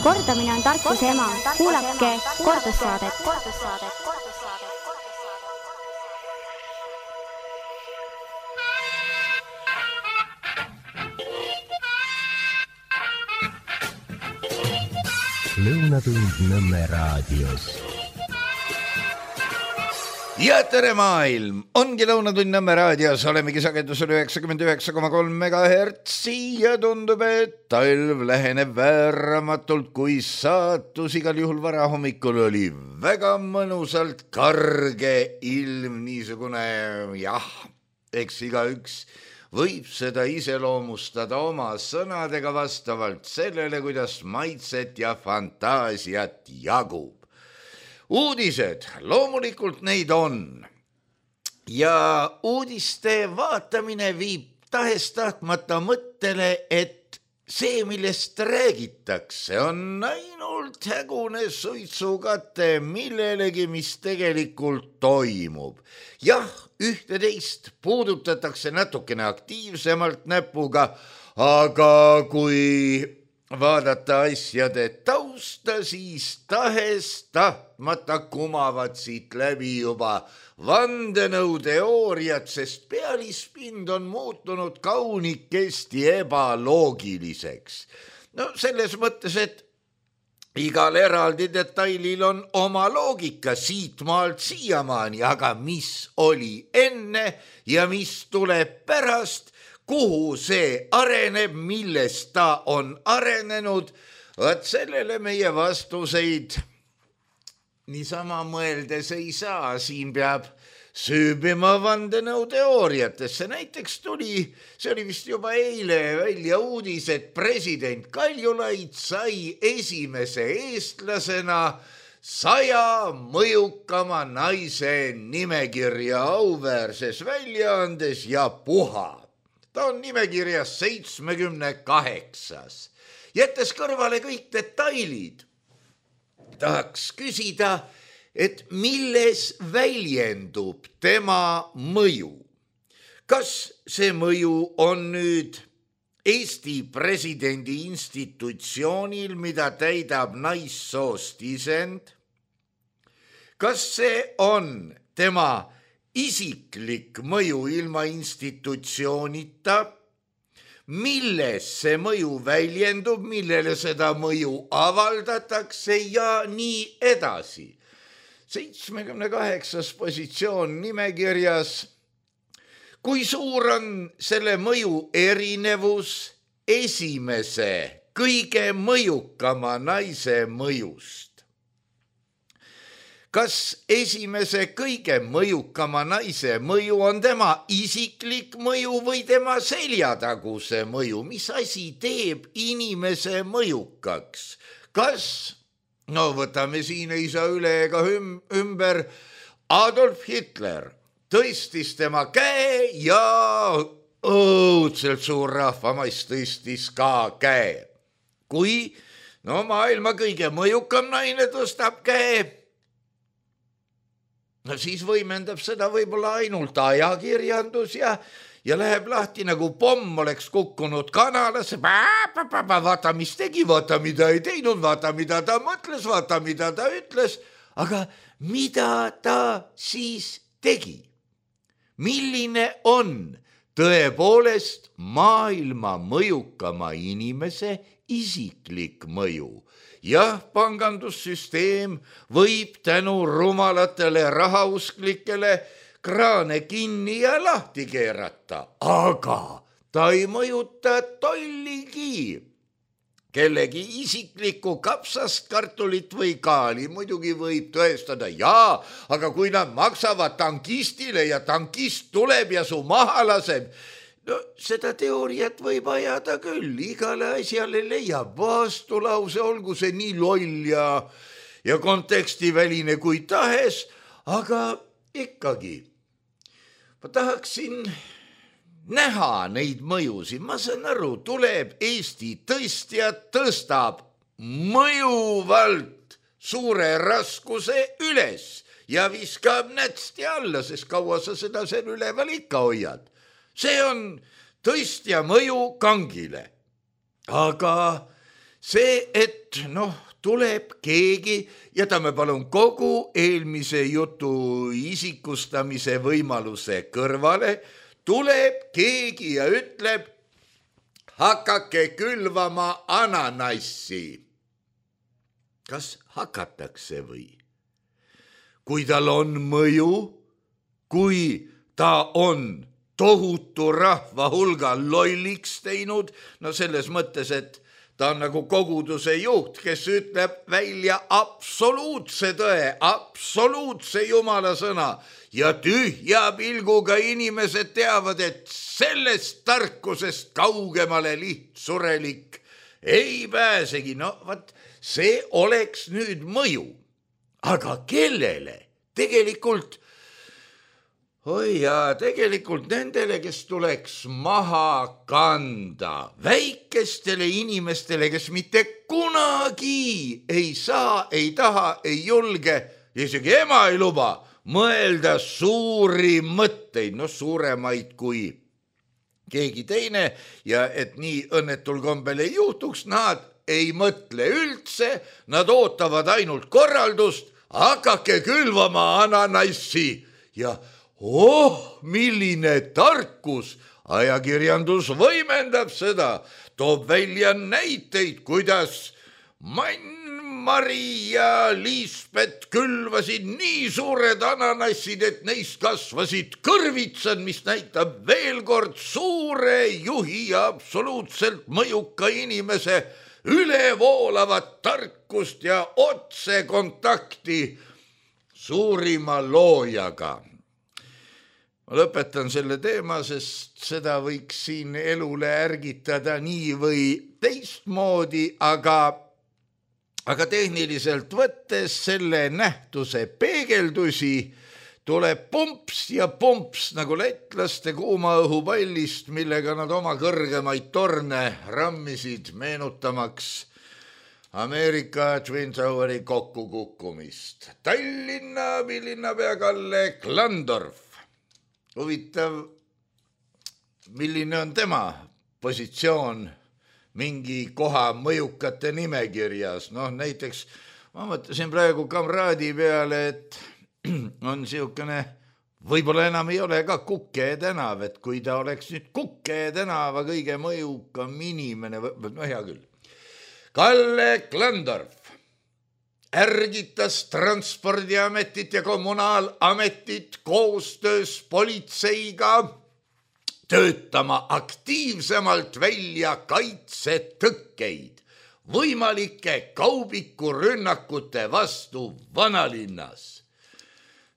Kordamine on tarkuse ema. Kuulake kordussaadet. Lõunatund Nõmme raadios. Ja tere maailm! Ongi Lõunatund Nõmme raadios, olemegi sagedusel 99,3 MHz ja tundub, et talv läheneb vääramatult, kui saatus. Igal juhul varahommikul oli väga mõnusalt karge ilm, niisugune eks igaüks võib seda iseloomustada oma sõnadega vastavalt sellele, kuidas maitset ja fantaasiat jagub. Uudised, loomulikult neid on. Ja uudiste vaatamine viib tahes-tahtmata mõttele, et see, millest räägitakse, on ainult hägune suitsukate millelegi, mis tegelikult toimub. Jah, ühte-teist puudutatakse natukene aktiivsemalt näpuga, aga kui vaadata asjade tausta, siis tahes-tahtmata kumavad siit läbi juba vandenõuteooriad, sest pealispind on muutunud kaunikesti ebaloogiliseks. No selles mõttes, et igal eraldi detailil on oma loogika siitmaalt siiamaani, aga mis oli enne ja mis tuleb pärast, kuhu see areneb, millest ta on arenenud, vaat sellele meie vastuseid niisama mõeldes ei saa. Siin peab süübima vandenõuteooriatesse. Näiteks see oli vist juba eile välja uudis, et president Kaljulaid sai esimese eestlasena 100 mõjukama naise nimekirja auväärses väljaandes ja puha. Ta on nimekirjas 78. Jättes kõrvale kõik detailid, tahaks küsida, et milles väljendub tema mõju. Kas see mõju on nüüd Eesti presidendi institutsioonil, mida täidab naissoost isend? Kas see on tema isiklik mõju ilma institutsioonita? Milles see mõju väljendub, millele seda mõju avaldatakse ja nii edasi? 78. positsioon nimekirjas. Kui suur on selle mõju erinevus esimese, kõige mõjukama naise mõjust? Kas esimese kõige mõjukama naise mõju on tema isiklik mõju või tema seljataguse mõju? Mis asi teeb inimese mõjukaks? Kas, võtame siin ei saa üle ega ümber, Adolf Hitler tõstis tema käe ja õudselt suur rahvamass tõstis ka käe. Kui maailma kõige mõjukam naine tõstab käe, siis võimendab seda võib-olla ainult ajakirjandus ja läheb lahti nagu pomm oleks kukkunud kanalasse. Vaata, mis tegi, vaata, mida ei teinud, vaata, mida ta mõtles, vaata, mida ta ütles. Aga mida ta siis tegi? Milline on tõepoolest maailma mõjukama inimese isiklik mõju? Jah, pangandussüsteem võib tänu rumalatele rahausklikele kraane kinni ja lahti keerata, aga ta ei mõjuta tolligi. Kellegi isiklikku kapsast, kartulit või kaali muidugi võib tõestada, aga kui nad maksavad tankistile ja tankist tuleb ja su maha laseb, seda teooriat võib ajada küll, igale asjale leiab vastulause, olgu see nii loll ja kontekstiväline kui tahes, aga ikkagi ma tahaksin näha neid mõjusid. Ma saan aru, tuleb Eesti tõstja, tõstab mõjuvalt suure raskuse üles ja viskab nätsti alla, sest kaua sa seda seal üleval ikka hoiad. See on tõstja mõju kangile. Aga see, et tuleb keegi, jätame palun kogu eelmise jutu isikustamise võimaluse kõrvale, tuleb keegi ja ütleb, hakake külvama ananassi. Kas hakatakse või? Kui tal on mõju, kui ta on tohutu rahva hulga lolliks teinud, selles mõttes, et ta on nagu koguduse juht, kes ütleb välja absoluutse tõe, absoluutse jumala sõna ja tühja pilguga inimesed teavad, et sellest tarkusest kaugemale lihtsurelik ei pääsegi. See oleks nüüd mõju. Aga kellele? Tegelikult nendele, kes tuleks maha kanda, väikestele inimestele, kes mitte kunagi ei saa, ei taha, ei julge, isegi ema ei luba mõelda suuri mõtteid, suuremaid kui keegi teine ja et nii õnnetul kombel ei juhtuks, nad ei mõtle üldse, nad ootavad ainult korraldust, hakake külvama ananassi ja milline tarkus, ajakirjandus võimendab seda, toob välja näiteid, kuidas Mari ja Liisbet külvasid nii suured ananassid, et neist kasvasid kõrvitsad, mis näitab veel kord suure juhi ja absoluutselt mõjuka inimese ülevoolavat tarkust ja otsekontakti suurima loojaga. Ma lõpetan selle teema, sest seda võiks siin elule ärgitada nii või teistmoodi, aga tehniliselt võttes selle nähtuse peegeldusi tuleb pumps ja pumps nagu lätlaste kuuma õhupallist, millega nad oma kõrgemaid torne rammisid, meenutamaks Ameerika Twin Toweri kokkukukkumist. Tallinna linnapea Kalle Klandorf. Huvitav, milline on tema positsioon mingi koha mõjukate nimekirjas. Näiteks ma mõtlesin praegu kamraadi peale, et on siukene, võib-olla enam ei ole ka Kuke tänav, et kui ta oleks nüüd Kuke tänava kõige mõjukam inimene, hea küll. Kalle Klandorf ärgitas Transpordiametit ja Kommunaalametit koostöös politseiga töötama aktiivsemalt välja kaitsetõkkeid võimalike kaubikurünnakute vastu vanalinnas.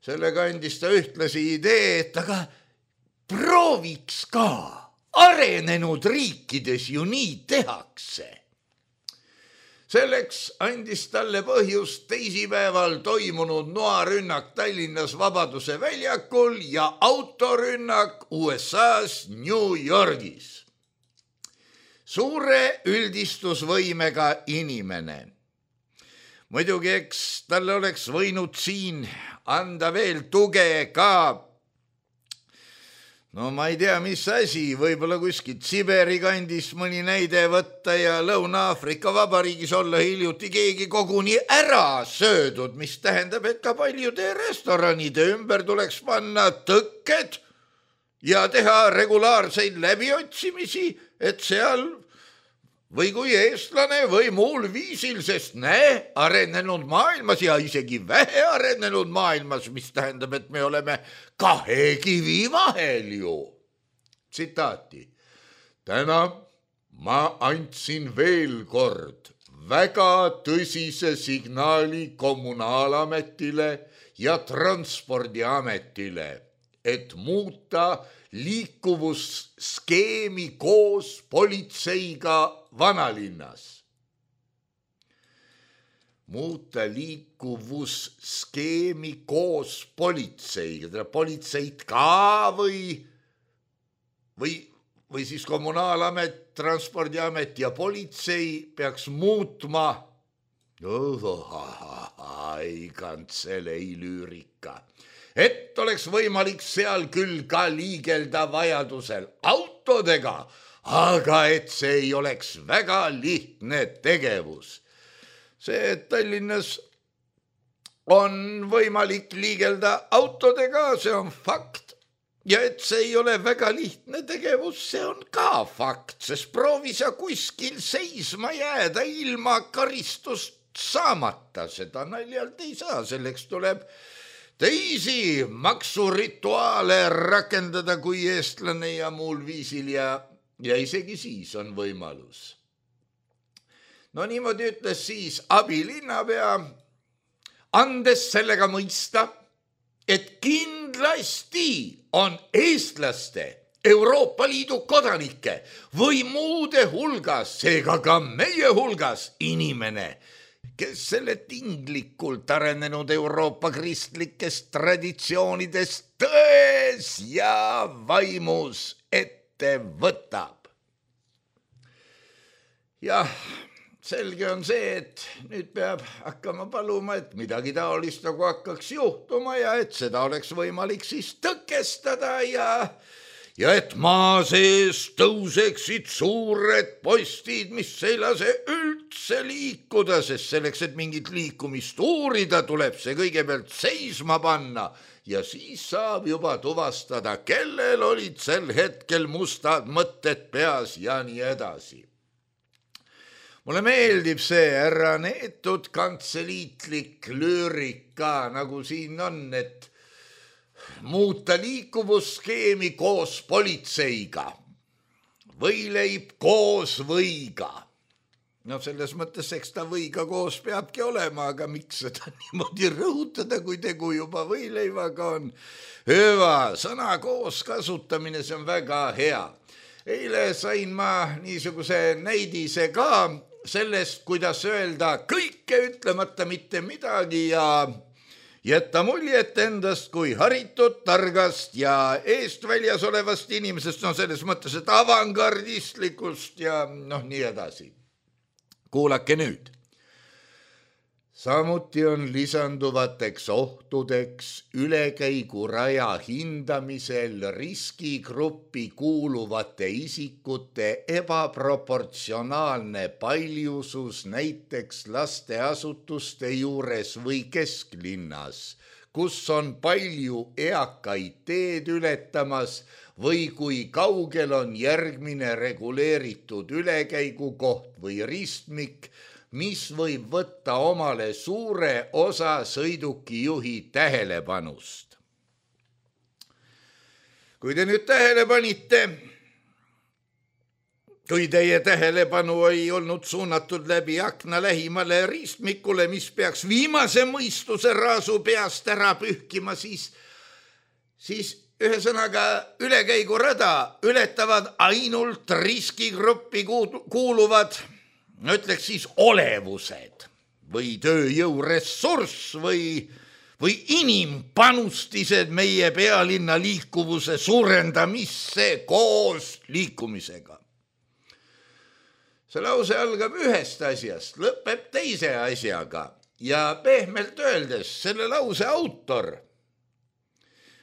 Sellega andis ta ühtlasi idee, et aga prooviks ka, arenenud riikides ju nii tehakse. Selleks andis talle põhjust teisipäeval toimunud noarünnak Tallinnas Vabaduse väljakul ja autorünnak USA-s New Yorgis. Suure üldistusvõimega inimene. Muidugi, eks talle oleks võinud siin anda veel tuge ka, ma ei tea, mis asi, võib-olla kuskilt Siberi kandis mõni näide võtta ja Lõuna-Aafrika Vabariigis olla hiljuti keegi koguni ära söödud, mis tähendab, et ka paljude restoranide ümber tuleks panna tõkked ja teha regulaarseid läbiotsimisi, et seal või kui eestlane või muul viisil, sest arenenud maailmas ja isegi vähe arenenud maailmas, mis tähendab, et me oleme kahe kivi vahel ju. Tsitaati. Täna ma andsin veel kord väga tõsise signaali Kommunaalametile ja Transpordiametile, et muuta liikuvusskeemi koos politseiga vanalinnas. Muuta liikuvusskeemi koos politseiga. Politseit ka või siis Kommunaalamet, Transpordiamet ja politsei peaks muutma kantselei lüürika. Et oleks võimalik seal küll ka liigelda vajadusel autodega, aga et see ei oleks väga lihtne tegevus. See, et Tallinnas on võimalik liigelda autodega, see on fakt. Ja et see ei ole väga lihtne tegevus, see on ka fakt, sest proovi sa kuskil seisma jääda ilma karistust saamata, seda naljalt ei saa, selleks tuleb teisi maksurituaale rakendada kui eestlane ja muul viisil ja isegi siis on võimalus. No niimoodi ütles siis abilinnapea, andes sellega mõista, et kindlasti on eestlaste, Euroopa Liidu kodanike või muude hulgas, seega ka meie hulgas inimene, kes selle tinglikult arenenud Euroopa kristlikest traditsioonidest tões ja vaimus ette võtab. Jah, selge on see, et nüüd peab hakkama paluma, et midagi taolist nagu hakkaks juhtuma ja et seda oleks võimalik siis tõkestada ja et maa sees tõuseksid suured postid, mis ei lase üldse liikuda, sest selleks, et mingit liikumist uurida, tuleb see kõigepealt seisma panna ja siis saab juba tuvastada, kellel olid sel hetkel mustad mõtted peas ja nii edasi. Mulle meeldib see härra neetud kantseliitlik lüürika, nagu siin on, et muuta liikuvusskeemi koos politseiga, võileib koos võiga. No selles mõttes, eks ta võiga koos peabki olema, aga miks seda niimoodi rõhutada, kui tegu juba võileivaga on? Hüva, sõna koos kasutamine, see on väga hea. Eile sain ma niisuguse näidise ka sellest, kuidas öelda kõike ütlemata mitte midagi ja jätta muljet endast kui haritud, targast ja eestväljas olevast inimesest, no selles mõttes, et avangardistlikust ja nii edasi. Kuulake nüüd. Samuti on lisanduvateks ohtudeks ülekäiguraja hindamisel riskigruppi kuuluvate isikute ebaproportsionaalne paljusus näiteks lasteasutuste juures või kesklinnas, kus on palju eakaid teed ületamas või kui kaugel on järgmine reguleeritud ülekäigukoht või ristmik, mis võib võtta omale suure osa sõidukijuhi tähelepanust. Kui te nüüd tähele panite, kui teie tähelepanu ei olnud suunatud läbi akna lähimale ristmikule, mis peaks viimase mõistuse raasu peast ära pühkima, siis ühesõnaga ülekäigurada ületavad ainult riskigruppi kuuluvad, ütleks siis olevused või tööjõuressurss või inimpanustised meie pealinna liikuvuse suurendamisse koos liikumisega. See lause algab ühest asjast, lõpeb teise asjaga ja pehmelt öeldes selle lause autor,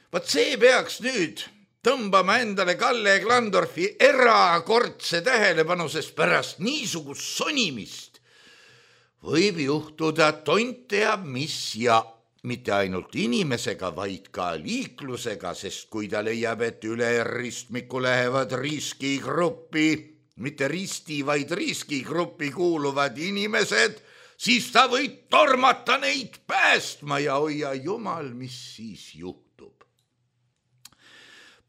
vaat see peaks nüüd tõmbama endale Kalle Klandorfi erakordse tähelepanu, sest pärast niisugust sonimist võib juhtuda tont teab mis ja mitte ainult inimesega, vaid ka liiklusega, sest kui ta leiab, et üle ristmiku lähevad riskigruppi, mitte risti, vaid riskigruppi kuuluvad inimesed, siis ta võib tormata neid päästma ja hoia jumal, mis siis juhtub.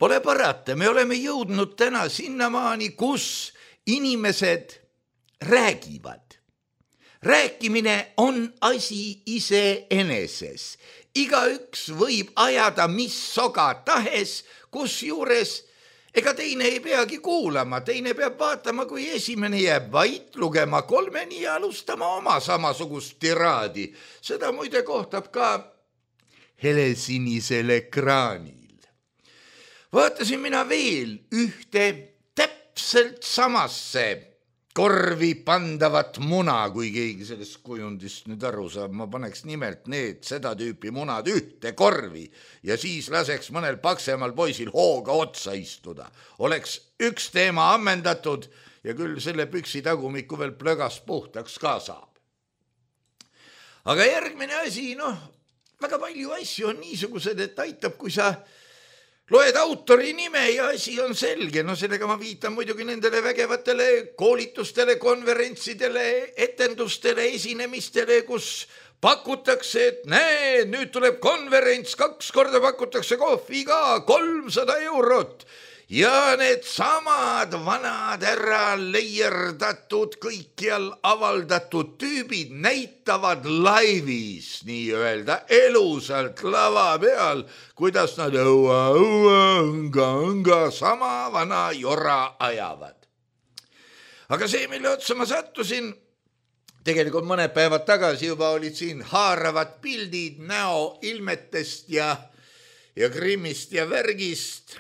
Pole parata, me oleme jõudnud täna sinnamaani, kus inimesed räägivad. Rääkimine on asi iseeneses. Igaüks võib ajada mis soga tahes, kusjuures ega teine ei peagi kuulama, teine peab vaatama, kui esimene jääb vait, lugema kolmeni ja alustama oma samasugust tiraadi. Seda muide kohtab ka helesinisel ekraanil. Vaatasin mina veel ühte täpselt samasse korvi pandavat muna, kui keegi sellest kujundist nüüd aru saab, ma paneks nimelt need seda tüüpi munad ühte korvi ja siis laseks mõnel paksemal poisil hooga otsa istuda. Oleks üks teema ammendatud ja küll selle püksi tagumiku veel plögas puhtaks ka saab. Aga järgmine asi, väga palju asju on niisugused, et aitab, kui sa loed autori nime ja asi on selge. Sellega ma viitan muidugi nendele vägevatele koolitustele, konverentsidele, etendustele, esinemistele, kus pakutakse, et näe, nüüd tuleb konverents, 2 korda pakutakse kohvi ka, 300 €. Ja need samad vanad ära leierdatud, kõikjal avaldatud tüübid näitavad laivis, nii öelda elusalt lava peal, kuidas nad õnga sama vana jora ajavad. Aga see, mille otsa ma sattusin, tegelikult mõned päevad tagasi juba olid siin haaravad pildid näoilmetest ja Krimmist ja värgist.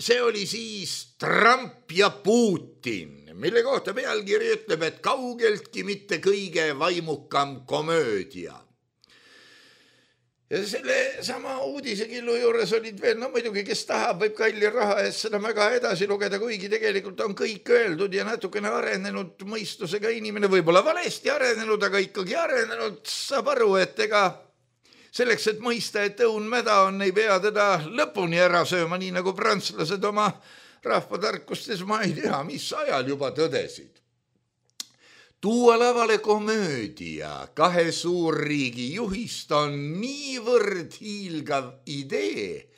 See oli siis Trump ja Putin, mille kohta pealkiri ütleb, et kaugeltki mitte kõige vaimukam komöödia. Ja selle sama uudisegillu juures olid veel, muidugi, kes tahab, võib kalli raha eest seda väga edasi lugeda, kuigi tegelikult on kõik öeldud ja natukene arenenud mõistusega inimene, võib-olla valesti arenenud, aga ikkagi arenenud, saab aru, et ega selleks, et mõista, et õun mäda on, ei pea teda lõpuni ära sööma, nii nagu prantslased oma rahvatarkustes, ma ei tea, mis ajal juba tõdesid. Tuua lavale komöödia 2 suurriigi juhist on niivõrd hiilgav idee,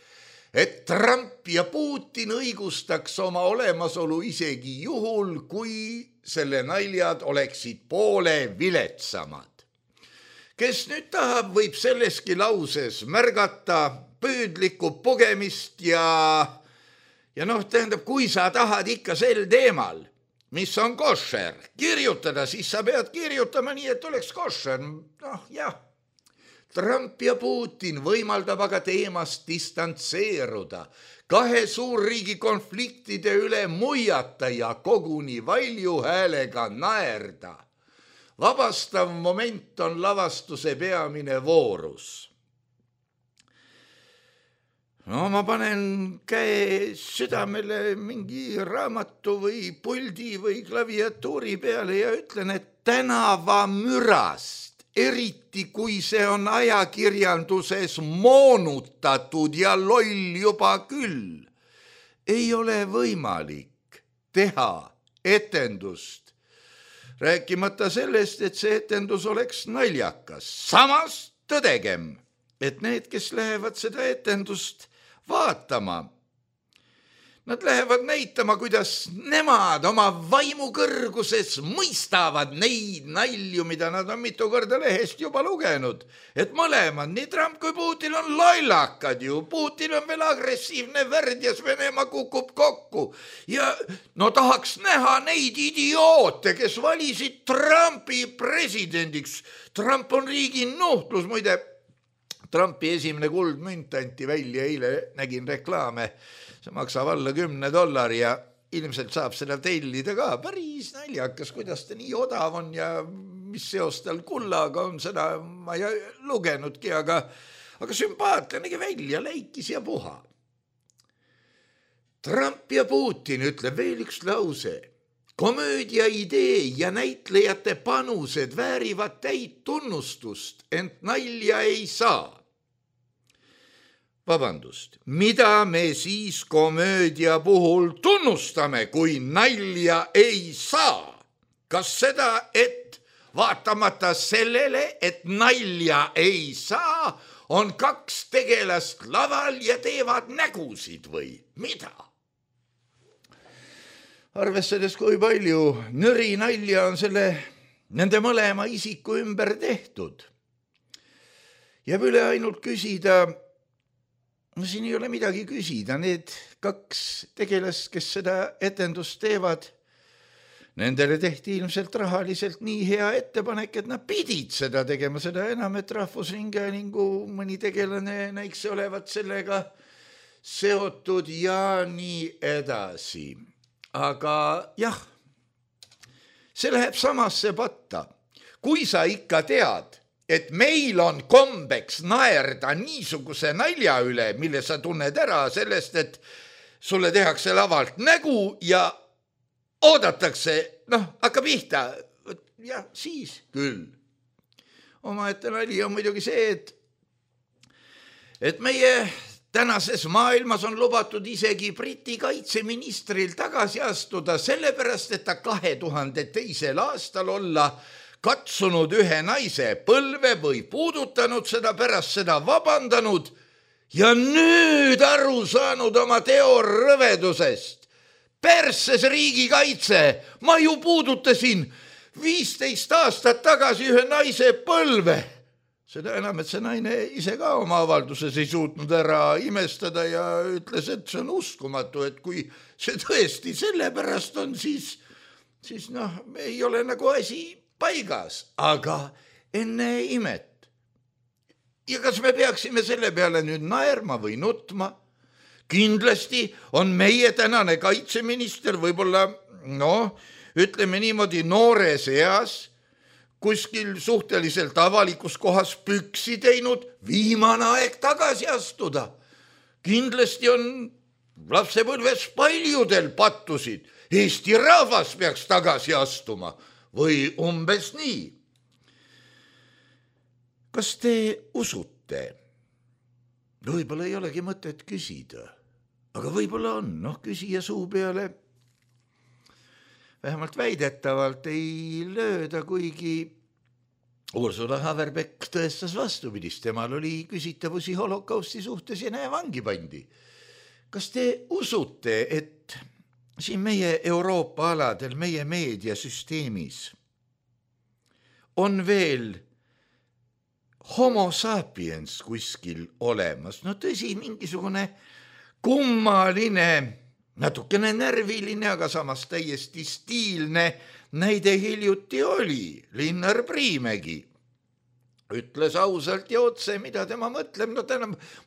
et Trump ja Putin õigustaks oma olemasolu isegi juhul, kui selle naljad oleksid poole viletsamad. Kes nüüd tahab, võib selleski lauses märgata püüdlikku pugemist ja tähendab, kui sa tahad ikka sel teemal, mis on košer, kirjutada, siis sa pead kirjutama nii, et oleks košer. Jah, Trump ja Putin võimaldab aga teemast distantseeruda, 2 suurriigi konfliktide üle muiata ja koguni valju häälega naerda. Vabastav moment on lavastuse peamine voorus. Ma panen käe südamele mingi raamatu või puldi või klaviatuuri peale ja ütlen, et tänavamürast, eriti kui see on ajakirjanduses moonutatud ja loll juba küll, ei ole võimalik teha etendust. Rääkimata sellest, et see etendus oleks naljakas. Samas tõdegem, et need, kes lähevad seda etendust vaatama, nad lähevad näitama, kuidas nemad oma vaimu kõrguses mõistavad neid nalju, mida nad on mitu korda lehest juba lugenud. Et mõlemad, nii Trump kui Putin on lollakad ju. Putin on veel agressiivne värdjas, Venemaa kukub kokku. Ja tahaks näha neid idioote, kes valisid Trumpi presidendiks. Trump on riigi nuhtlus, muide. Trumpi esimene kuldmünt anti välja, eile nägin reklaame. See maksab alla $10 ja ilmselt saab seda tellida ka. Päris naljakas, kuidas ta nii odav on ja mis seos tal kullaga on, seda ma ei lugenudki, aga sümpaatne nägi välja, läikis ja puha. Trump ja Putin ütleb veel üks lause. Komöödia idee ja näitlejate panused väärivad täit tunnustust, ent nalja ei saa. Vabandust, mida me siis komöödia puhul tunnustame, kui nalja ei saa? Kas seda, et vaatamata sellele, et nalja ei saa, on 2 tegelast laval ja teevad nägusid või mida? Arvestades, kui palju nõri nalja on nende mõlema isiku ümber tehtud. Jääb üle ainult küsida, siin ei ole midagi küsida, need 2 tegelast, kes seda etendust teevad, nendele tehti ilmselt rahaliselt nii hea ettepanek, et nad pidid seda tegema, seda enam, et Rahvusringhäälingu mõni tegelane näikse olevat sellega seotud ja nii edasi. Aga jah, see läheb samasse patta. Kui sa ikka tead, et meil on kombeks naerda niisuguse nalja üle, mille sa tunned ära sellest, et sulle tehakse lavalt nägu ja oodatakse, hakkab pihta. Ja siis küll. Omaette nali on muidugi see, et meie tänases maailmas on lubatud isegi Briti kaitseministril tagasi astuda sellepärast, et ta 2002. aastal olla katsunud ühe naise põlve või puudutanud seda, pärast seda vabandanud ja nüüd aru saanud oma teo rõvedusest. Persses riigikaitse, ma ju puudutasin 15 aastat tagasi ühe naise põlve. Seda enam, et see naine ise ka oma avalduses ei suutnud ära imestada ja ütles, et see on uskumatu, et kui see tõesti sellepärast on, siis ei ole nagu asi paigas, aga enne imet. Ja kas me peaksime selle peale nüüd naerma või nutma? Kindlasti on meie tänane kaitseminister võib-olla, ütleme niimoodi noores eas, kuskil suhteliselt avalikus kohas püksi teinud, viimane aeg tagasi astuda. Kindlasti on lapsepõlves paljudel pattusid. Eesti rahvas peaks tagasi astuma või umbes nii. Kas te usute? Võib-olla ei olegi mõtet küsida, aga võib-olla on, küsija suu peale vähemalt väidetavalt ei lööda, kuigi Ursula Haverbeck tõestas vastupidist. Temal oli küsitavusi holokausti suhtes ja vangi pandi. Kas te usute, et siin meie Euroopa aladel, meie meediasüsteemis on veel homo sapiens kuskil olemas? Tõsi, mingisugune kummaline, natukene närviline, aga samas täiesti stiilne näide hiljuti oli. Linnar Priimägi ütles ausalt ja otse, mida tema mõtleb.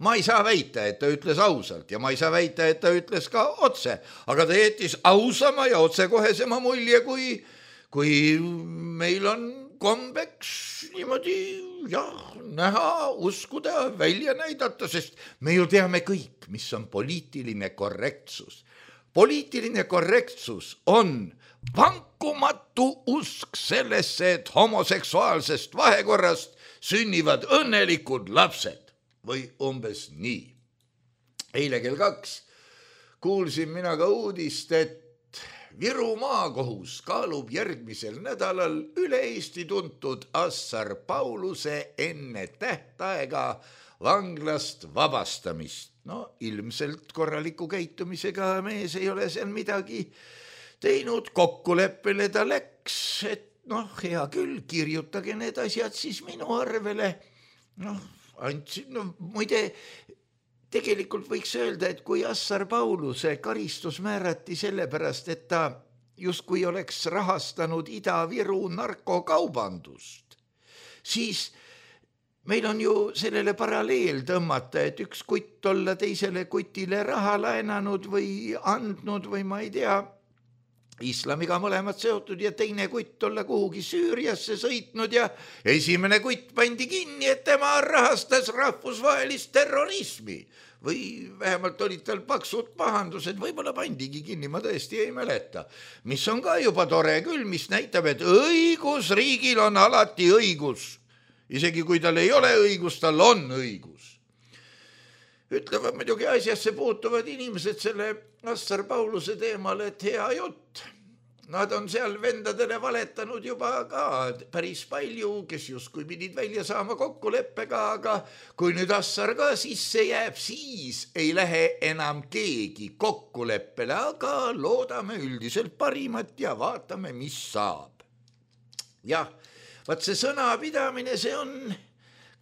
Ma ei saa väita, et ta ütles ausalt ja ma ei saa väita, et ta ütles ka otse, aga ta jättis ausama ja otsekohesema mulje, kui meil on kombeks niimoodi näha, uskuda, välja näidata, sest me ju teame kõik, mis on poliitiline korrektsus. Poliitiline korrektsus on vankumatu usk sellesse, et homoseksuaalsest vahekorrast sünnivad õnnelikud lapsed või umbes nii. Eile kell 2 kuulsin mina ka uudist, et Viru maakohus kaalub järgmisel nädalal üle Eesti tuntud Assar Pauluse enne tähtaega vanglast vabastamist. Ilmselt korraliku käitumisega mees ei ole seal midagi teinud, kokkuleppele ta läks, et hea küll, kirjutage need asjad siis minu arvele. Muide, tegelikult võiks öelda, et kui Assar Pauluse karistus määrati sellepärast, et ta justkui oleks rahastanud Ida-Viru narkokaubandust, siis meil on ju sellele paralleel tõmmata, et üks kutt olla teisele kutile raha laenanud või andnud või ma ei tea, islamiga mõlemad seotud ja teine kutt olla kuhugi Süüriasse sõitnud ja esimene kutt pandi kinni, et tema rahastas rahvusvahelist terrorismi. Või vähemalt olid tal paksud pahandused, võib-olla pandigi kinni, ma tõesti ei mäleta. Mis on ka juba tore küll, mis näitab, et õigusriigil on alati õigus. Isegi kui tal ei ole õigus, tal on õigus. Ütlevad muidugi asjasse puutuvad inimesed selle Assar Pauluse teemal, et hea jutt. Nad on seal vendadele valetanud juba ka päris palju, kes justkui pidid välja saama kokkuleppega, aga kui nüüd Assar ka sisse jääb, siis ei lähe enam keegi kokkuleppele, aga loodame üldiselt parimat ja vaatame, mis saab. Jah, vaat see sõnapidamine, see on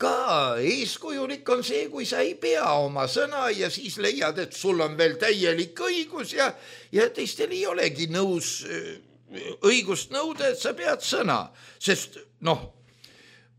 ka eeskujulik on see, kui sa ei pea oma sõna ja siis leiad, et sul on veel täielik õigus ja teistel ei olegi nõus õigust nõuda, et sa pead sõna. Sest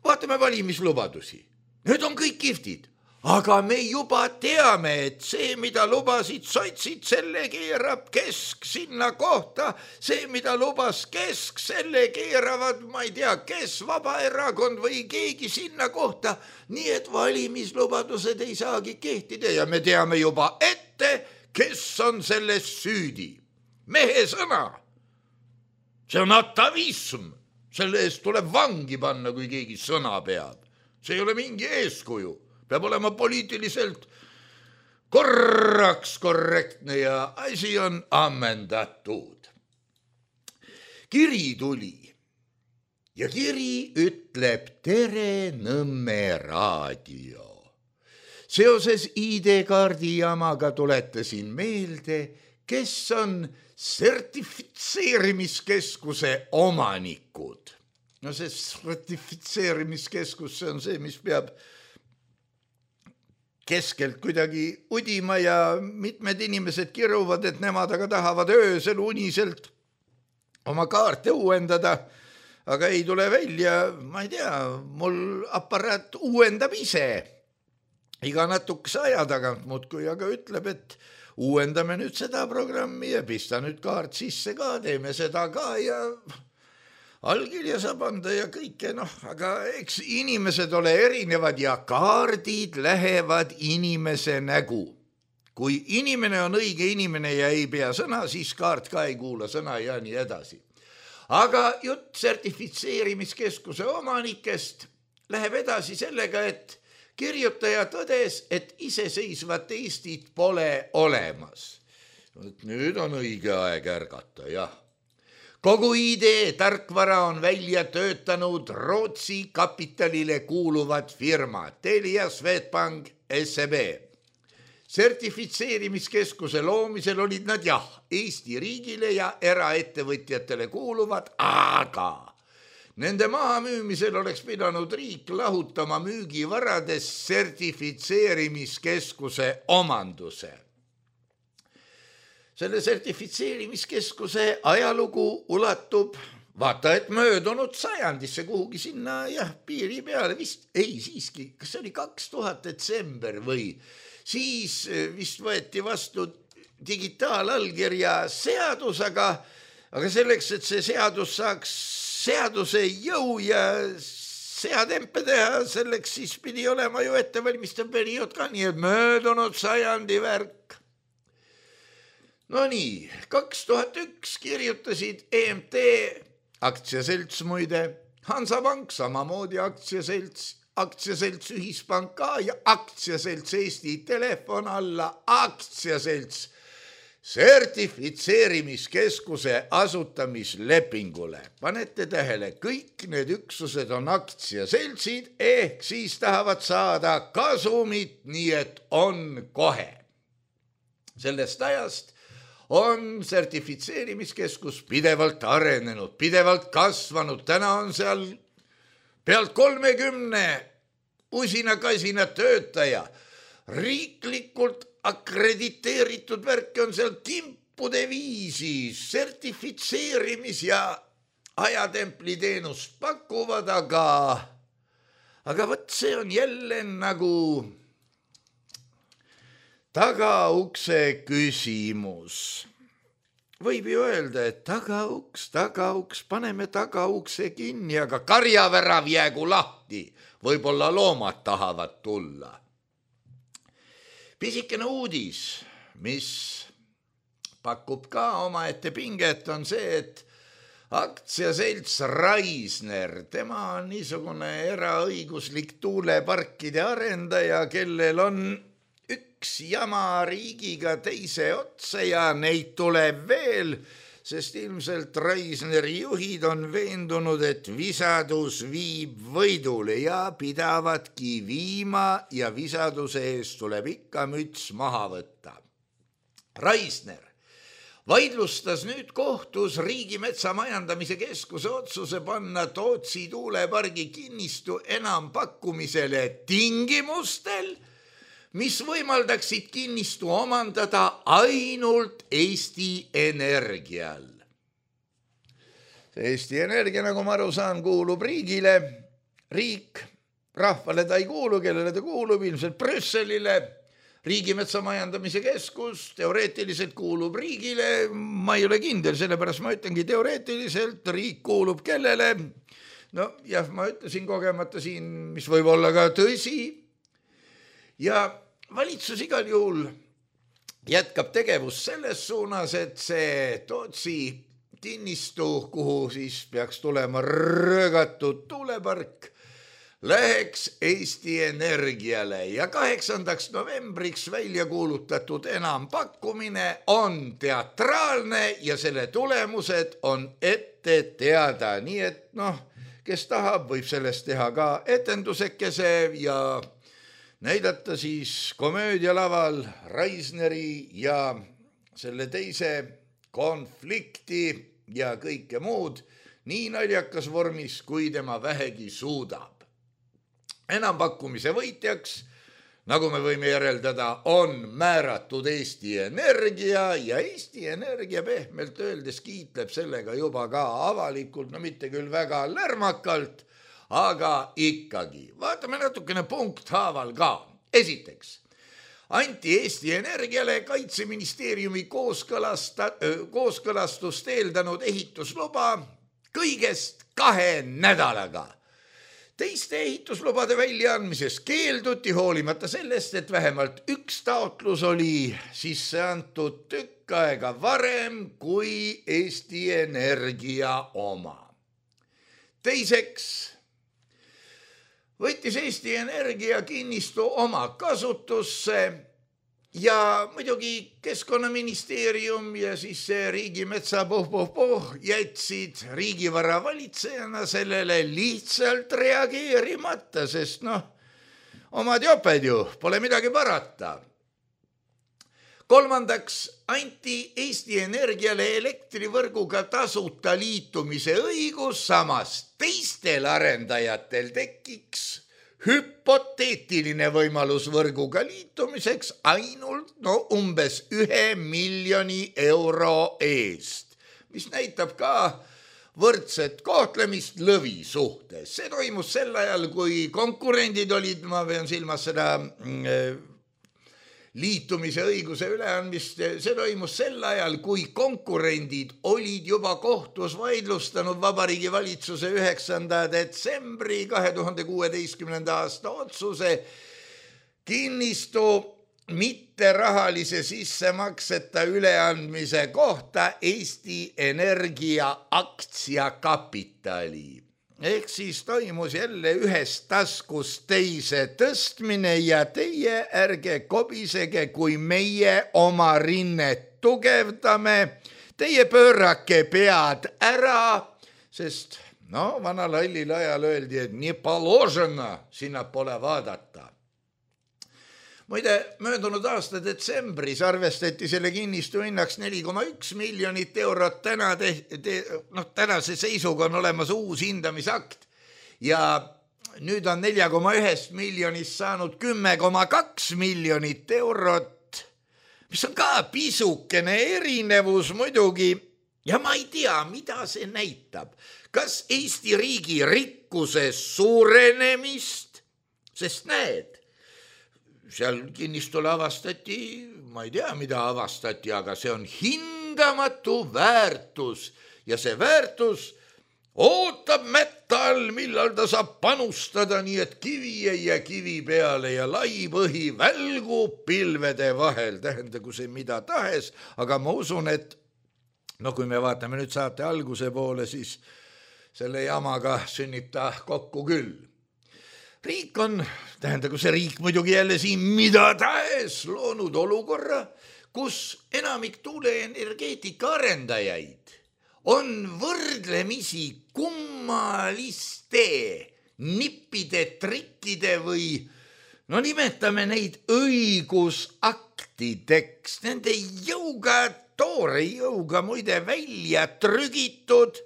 vaatame valimislubadusi. Need on kõik kihvtid, aga me juba teame, et see, mida lubasid sotsid, selle keerab Kesk sinna kohta, see, mida lubas Kesk, selle keeravad, ma ei tea, kes, Vabaerakond või keegi sinna kohta, nii et valimislubadused ei saagi kehtida ja me teame juba ette, kes on selles süüdi. Mehe sõna. See on atavism, selle eest tuleb vangi panna, kui keegi sõna peab. See ei ole mingi eeskuju. Peab olema poliitiliselt korraks korrektne ja asi on ammendatud. Kiri tuli ja kiri ütleb tere Nõmme raadio. Seoses ID-kaardi jamaga tuletasin meelde, kes on sertifitseerimiskeskuse omanikud. No see sertifitseerimiskeskus, see on see, mis peab keskelt kuidagi udima ja mitmed inimesed kiruvad, et nemad aga tahavad öösel uniselt oma kaarte uuendada, aga ei tule välja, ma ei tea, mul aparaat uuendab ise iga natukese aja tagant muudkui, aga ütleb, et uuendame nüüd seda programmi ja pista nüüd kaart sisse ka, teeme seda ka ja allkirja saab anda ja kõike, aga eks inimesed ole erinevad ja kaardid lähevad inimese nägu. Kui inimene on õige inimene ja ei pea sõna, siis kaart ka ei kuula sõna ja nii edasi. Aga jutt sertifitseerimiskeskuse omanikest läheb edasi sellega, et kirjutaja tõdes, et iseseisvat Eestit pole olemas. Nüüd on õige aeg ärgata, jah. Kogu idee tarkvara on välja töötanud Rootsi kapitalile kuuluvad firmad Telia, Swedbank, SEB. Sertifitseerimiskeskuse loomisel olid nad Eesti riigile ja eraettevõtjatele kuuluvad, aga nende mahamüümisel oleks pidanud riik lahutama müügivarades sertifitseerimiskeskuse omanduse. Selle sertifitseerimiskeskuse ajalugu ulatub, vaata, et möödunud sajandisse kuhugi sinna piiri peale, siiski, kas see oli 2000 detsember või siis vist võeti vastu digitaalallkirja seadus, aga selleks, et see seadus saaks seaduse jõu ja seadempe teha, selleks siis pidi olema ju ettevalmistav periood ka, nii et möödunud sajandi värk. No nii, 2001 kirjutasid EMT, aktsiaselts muide, Hansapank, samamoodi aktsiaselts Ühispank ka ja aktsiaselts Eesti Telefon alla, aktsiaselts sertifitseerimiskeskuse asutamislepingule. Panete tähele, kõik need üksused on aktsiaseltsid, ehk siis tahavad saada kasumit, nii et on kohe. Sellest ajast on sertifitseerimiskeskus pidevalt arenenud, pidevalt kasvanud. Täna on seal pealt 30 usina-kasina töötaja. Riiklikult akrediteeritud värke on seal kimpude viisi, sertifitseerimis- ja ajatempliteenust pakuvad, aga võt see on jälle nagu tagaukse küsimus. Võib ju öelda, et tagauks, paneme tagaukse kinni, aga karjavärav jäägu lahti. Võib-olla loomad tahavad tulla. Pisikene uudis, mis pakub ka omaette pinget, on see, et aktsiaselts Raisner, tema on niisugune eraõiguslik tuuleparkide arendaja, kellel on üks jama riigiga teise otsa ja neid tuleb veel, sest ilmselt Raisneri juhid on veendunud, et visadus viib võidule ja pidavadki viima ja visaduse eest tuleb ikka müts maha võtta. Raisner vaidlustas nüüd kohtus Riigimetsa Majandamise Keskuse otsuse panna Tootsi tuulepargi kinnistu enampakkumisele tingimustel, mis võimaldaksid kinnistu omandada ainult Eesti Energial. Eesti Energia, nagu ma aru saan, kuulub riigile. Riik rahvale ta ei kuulu, kellele ta kuulub, ilmselt Brüsselile. Riigimetsa majandamise keskus teoreetiliselt kuulub riigile, ma ei ole kindel, sellepärast ma ütlengi teoreetiliselt, riik kuulub kellele. No jah, ma ütlesin kogemata siin, mis võib olla ka tõsi. Ja valitsus igal juhul jätkab tegevust selles suunas, et see Tootsi kinnistu, kuhu siis peaks tulema röögatud tuulepark, läheks Eesti Energiale ja 8. novembriks välja kuulutatud enampakkumine on teatraalne ja selle tulemused on ette teada. Nii et kes tahab, võib sellest teha ka etendusekese ja näidata siis komöödialaval Reisneri ja selle teise konflikti ja kõike muud nii naljakas vormis, kui tema vähegi suudab. Enampakkumise võitjaks, nagu me võime järeldada, on määratud Eesti Energia ja Eesti Energia pehmelt öeldes kiitleb sellega juba ka avalikult, no mitte küll väga lärmakalt, aga ikkagi. Vaatame natukene punkthaaval ka. Esiteks, anti Eesti Energiale Kaitseministeeriumi kooskõlastust eeldanud ehitusluba kõigest 2 nädalaga. Teiste ehituslubade väljaandmises keelduti hoolimata sellest, et vähemalt üks taotlus oli sisse antud tükk aega varem kui Eesti Energia oma. Teiseks võttis Eesti Energia kinnistu oma kasutusse ja muidugi Keskkonnaministeerium ja siis see riigimetsa jätsid riigivara valitsejana sellele lihtsalt reageerimata, sest omad joped ju, pole midagi parata. Kolmandaks anti Eesti Energiale elektrivõrguga tasuta liitumise õigus, samas teistel arendajatel tekiks hüpoteetiline võimalus võrguga liitumiseks ainult umbes 1 miljoni euro eest, mis näitab ka võrdset kohtlemist lõvi suhtes. See toimus sel ajal, kui konkurendid olid, ma pean silmas seda liitumise õiguse üleandmist, see toimus sel ajal, kui konkurendid olid juba kohtus vaidlustanud Vabariigi Valitsuse 9. detsembri 2016. aasta otsuse kinnistu mitterahalise sissemakseta üleandmise kohta Eesti Energia aktsiakapitali. Ehk siis toimus jälle ühest taskust teise tõstmine ja teie ärge kobisege, kui meie oma rinnet tugevdame. Teie pöörake pead ära, sest vanal hallil ajal öeldi, et nii položena sinna pole vaadata. Muide, möödunud aasta detsembris arvestati selle kinnistu hinnaks 4,1 miljonit eurot. Tänase seisuga on olemas uus hindamisakt ja nüüd on 4,1 miljonist saanud 10,2 miljonit eurot, mis on ka pisukene erinevus muidugi. Ja ma ei tea, mida see näitab. Kas Eesti riigi rikkuse suurenemist, sest näed, seal kinnistule avastati, ma ei tea, mida avastati, aga see on hindamatu väärtus ja see väärtus ootab metall, millal ta saab panustada, nii et kivi ei jää kivi peale ja lai põhi välgub pilvede vahel, tähendagu see mida tahes, aga ma usun, et kui me vaatame nüüd saate alguse poole, siis selle jamaga sünnib ta kokku küll. Riik on, tähendagu see riik muidugi jälle siin mida tahes loonud olukorra, kus enamik tuuleenergeetika arendajaid on võrdlemisi kummaliste nippide, trikkide või nimetame neid õigusaktideks, nende jõuga, toore jõuga muide välja trügitud,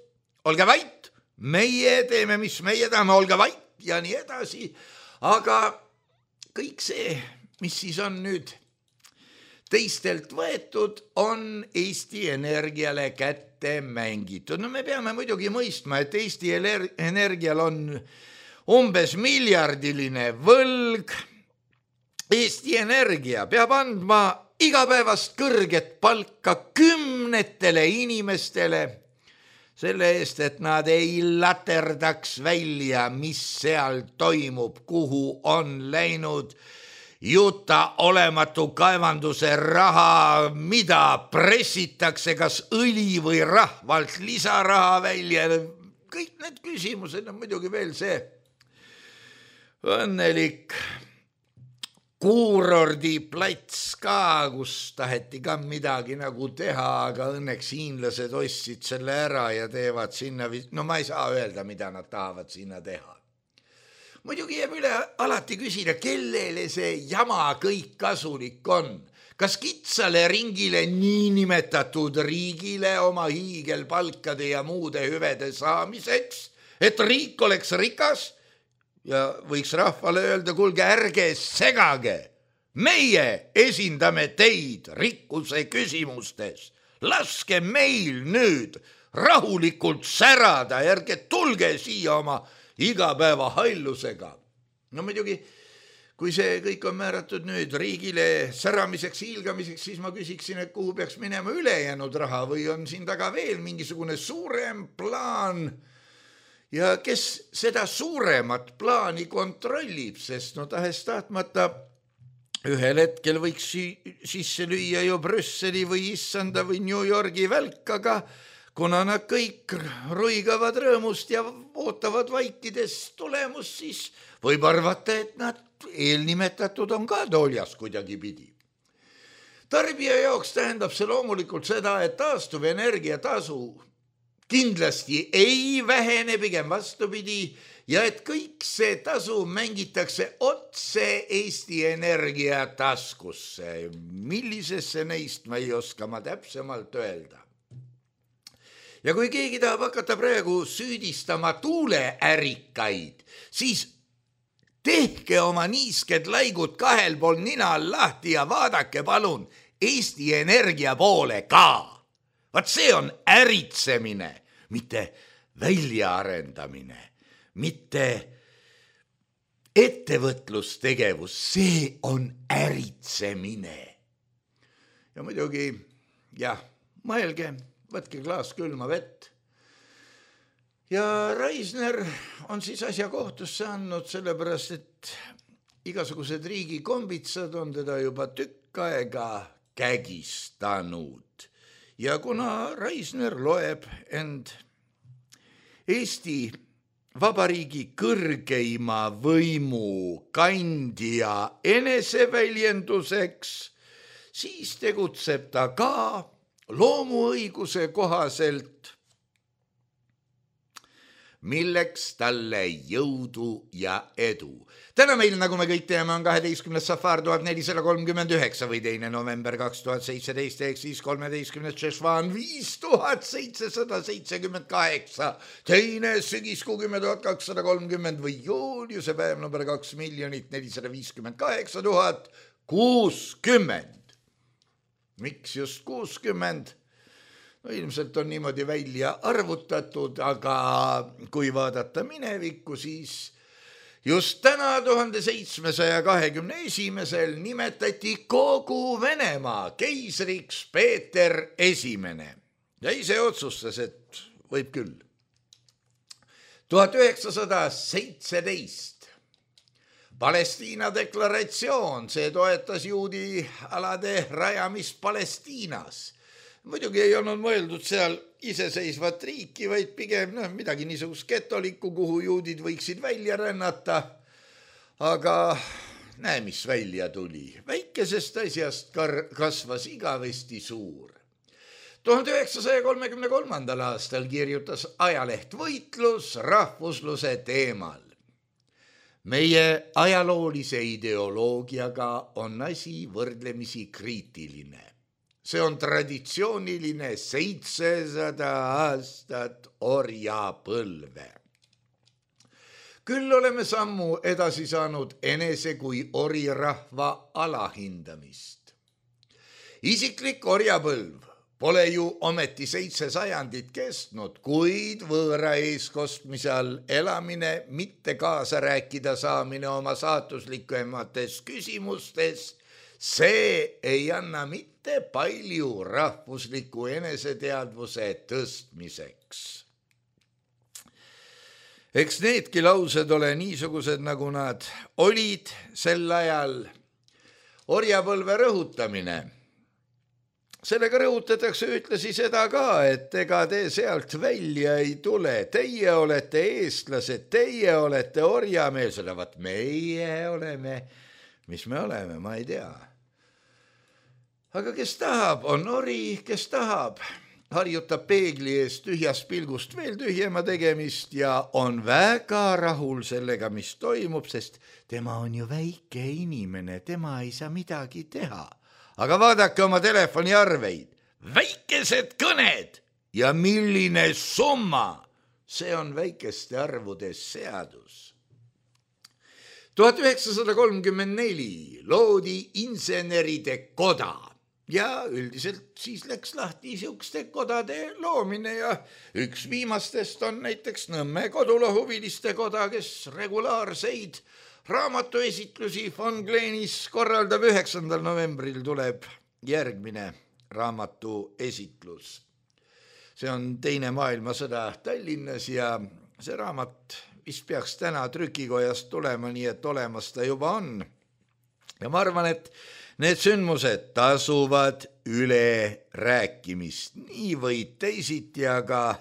olge vait, meie teeme, mis meie tahame, olge vait, ja nii edasi, aga kõik see, mis siis on nüüd teistelt võetud, on Eesti Energiale kätte mängitud. Me peame muidugi mõistma, et Eesti Energial on umbes miljardiline võlg. Eesti Energia peab andma igapäevast kõrget palka 10 inimestele selle eest, et nad ei laterdaks välja, mis seal toimub, kuhu on läinud juta olematu kaevanduse raha, mida pressitakse, kas õli või rahvalt lisaraha välja. Kõik need küsimused on muidugi veel see õnnelik kuurordiplats ka, kus taheti ka midagi nagu teha, aga õnneks hiinlased ostsid selle ära ja teevad sinna, no ma ei saa öelda, mida nad tahavad sinna teha. Muidugi jääb üle alati küsida, kellele see jama kõik kasulik on. Kas kitsale ringile niinimetatud riigile oma hiigelpalkade ja muude hüvede saamiseks, et riik oleks rikas? Ja võiks rahvale öelda, kuulge, ärge segage. Meie esindame teid rikkuse küsimustes. Laske meil nüüd rahulikult särada, ärge tulge siia oma igapäeva hallusega. No muidugi, kui see kõik on määratud nüüd riigile säramiseks, hiilgamiseks, siis ma küsiksin, et kuhu peaks minema ülejäänud raha või on siin taga veel mingisugune suurem plaan. Ja kes seda suuremat plaani kontrollib, sest no tahes tahtmata ühel hetkel võiks sisse lüüa ju Brüsseli või Issanda või New Yorgi välk, aga kuna nad kõik ruigavad rõõmust ja ootavad vaikides tulemust, siis võib arvata, et nad eelnimetatud on ka tooljas kuidagi pidi. Tarbija jaoks tähendab see loomulikult seda, et taastuvenergia tasu kindlasti ei vähene, pigem vastupidi, ja et kõik see tasu mängitakse otse Eesti Energia taskusse. Millisesse neist ma ei oska ma täpsemalt öelda. Ja kui keegi tahab hakata praegu süüdistama tuuleärikaid, siis tehke oma niisked laigud kahel pool nina lahti ja vaadake palun Eesti Energia poole ka. Vaat see on äritsemine, mitte väljaarendamine, mitte ettevõtlustegevus, see on äritsemine. Ja muidugi, jah, mõelge, võtke klaas külma vett. Ja Raisner on siis asja kohtusse andnud, sellepärast, et igasugused riigikombitsad on teda juba tükk aega kägistanud. Ja kuna Raisner loeb end Eesti Vabariigi kõrgeima võimu kandja eneseväljenduseks, siis tegutseb ta ka loomuõiguse kohaselt, milleks talle jõudu ja edu. Täna meil, nagu me kõik teame, on 12. safar 1439 või 2. november 2017, ehk siis 13. šešvan 5778, teine sügiskuu 10.230 või juuliuse päev number 2 458 060. Miks just 60? No ilmselt on niimoodi välja arvutatud, aga kui vaadata minevikku, siis just täna 1721. nimetati kogu Venemaa keisriks Peeter Esimene ja ise otsustas, et võib küll. 1917 Palestiina deklaratsioon, see toetas juudi alade rajamist Palestiinas. Muidugi ei olnud mõeldud seal iseseisvat riiki, vaid pigem midagi niisugust getolikku, kuhu juudid võiksid välja rännata. Aga näe, mis välja tuli. Väikesest asjast kasvas igavesti suur. 1933. aastal kirjutas ajaleht Võitlus rahvusluse teemal. Meie ajaloolise ideoloogiaga on asi võrdlemisi kriitiline. See on traditsiooniline 700 aastat orjapõlve. Küll oleme sammu edasi saanud enese kui orirahva alahindamist. Isiklik orjapõlv pole ju ometi 7 sajandit kestnud, kuid võõra eeskostmise all elamine, mitte kaasa rääkida saamine oma saatuslikumates küsimustes, see ei anna mitte palju rahvusliku eneseteadvuse tõstmiseks. Eks needki laused ole niisugused, nagu nad olid sel ajal. Orjapõlve rõhutamine. Sellega rõhutatakse ühtlasi seda ka, et ega te sealt välja ei tule. Teie olete eestlased, teie olete orjameelsed, vaat meie oleme, mis me oleme, ma ei tea. Aga kes tahab, on ori, kes tahab, harjutab peegli ees tühjast pilgust veel tühjema tegemist ja on väga rahul sellega, mis toimub, sest tema on ju väike inimene, tema ei saa midagi teha. Aga vaadake oma telefoniarveid, väikesed kõned ja milline summa, see on väikeste arvudes seadus. 1934 loodi inseneride koda ja üldiselt siis läks lahti niisuguste kodade loomine ja üks viimastest on näiteks Nõmme kodulohuviliste koda, kes regulaarseid raamatuesitlusi Von Gleenis korraldab. 9. novembril tuleb järgmine raamatuesitlus. See on Teine maailmasõda Tallinnas ja see raamat vist peaks täna trükikojast tulema, nii et olemas ta juba on. Ja ma arvan, et need sündmused tasuvad üle rääkimist, nii või teisiti, aga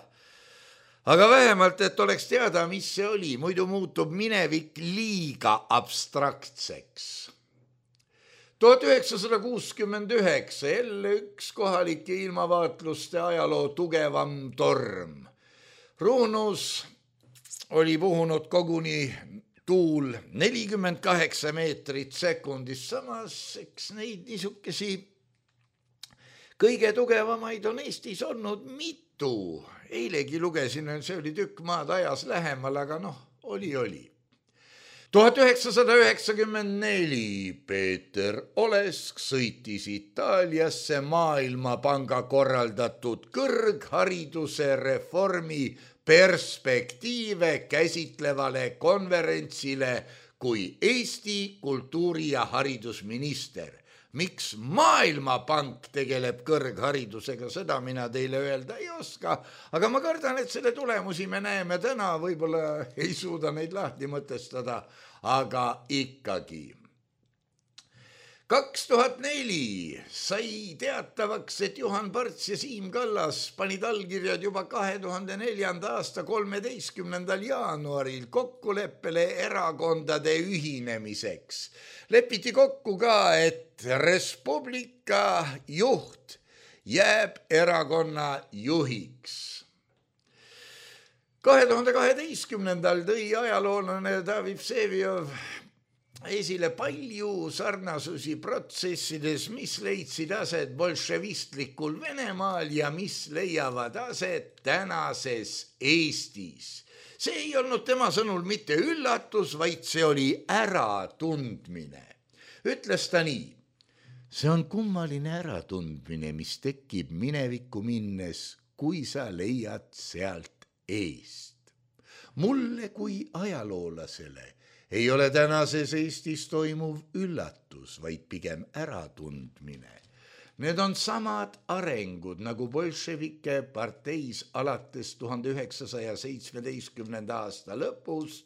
vähemalt, et oleks teada, mis see oli, muidu muutub minevik liiga abstraktseks. 1969 jälle üks kohalike ilmavaatluste ajaloo tugevam torm. Ruunus oli puhunud koguni tuul 48 meetrit sekundis, samas eks neid niisukesi kõige tugevamaid on Eestis olnud mitu. Eilegi lugesin, see oli tükk maad ajas lähemal, aga oli. 1994 Peeter Olesk sõitis Itaaliasse Maailmapanga korraldatud kõrghariduse reformi perspektiive käsitlevale konverentsile kui Eesti kultuuri- ja haridusminister. Miks Maailmapank tegeleb kõrgharidusega, seda mina teile öelda ei oska, aga ma kardan, et selle tulemusi me näeme täna, võib-olla ei suuda neid lahti mõtestada, aga ikkagi. 2004 sai teatavaks, et Juhan Parts ja Siim Kallas panid allkirjad juba 2004. aasta 13. jaanuaril kokkuleppele erakondade ühinemiseks. Lepiti kokku ka, et Res Publica juht jääb erakonna juhiks. 2012. tõi ajaloolane David Vseviov esile palju sarnasusi protsessides, mis leidsid aset bolševistlikul Venemaal ja mis leiavad aset tänases Eestis. See ei olnud tema sõnul mitte üllatus, vaid see oli äratundmine. Ütles ta nii: see on kummaline äratundmine, mis tekib minevikku minnes, kui sa leiad sealt eest. Mulle kui ajaloolasele ei ole tänases Eestis toimuv üllatus, vaid pigem äratundmine. Need on samad arengud nagu bolševike parteis alates 1917. aasta lõpust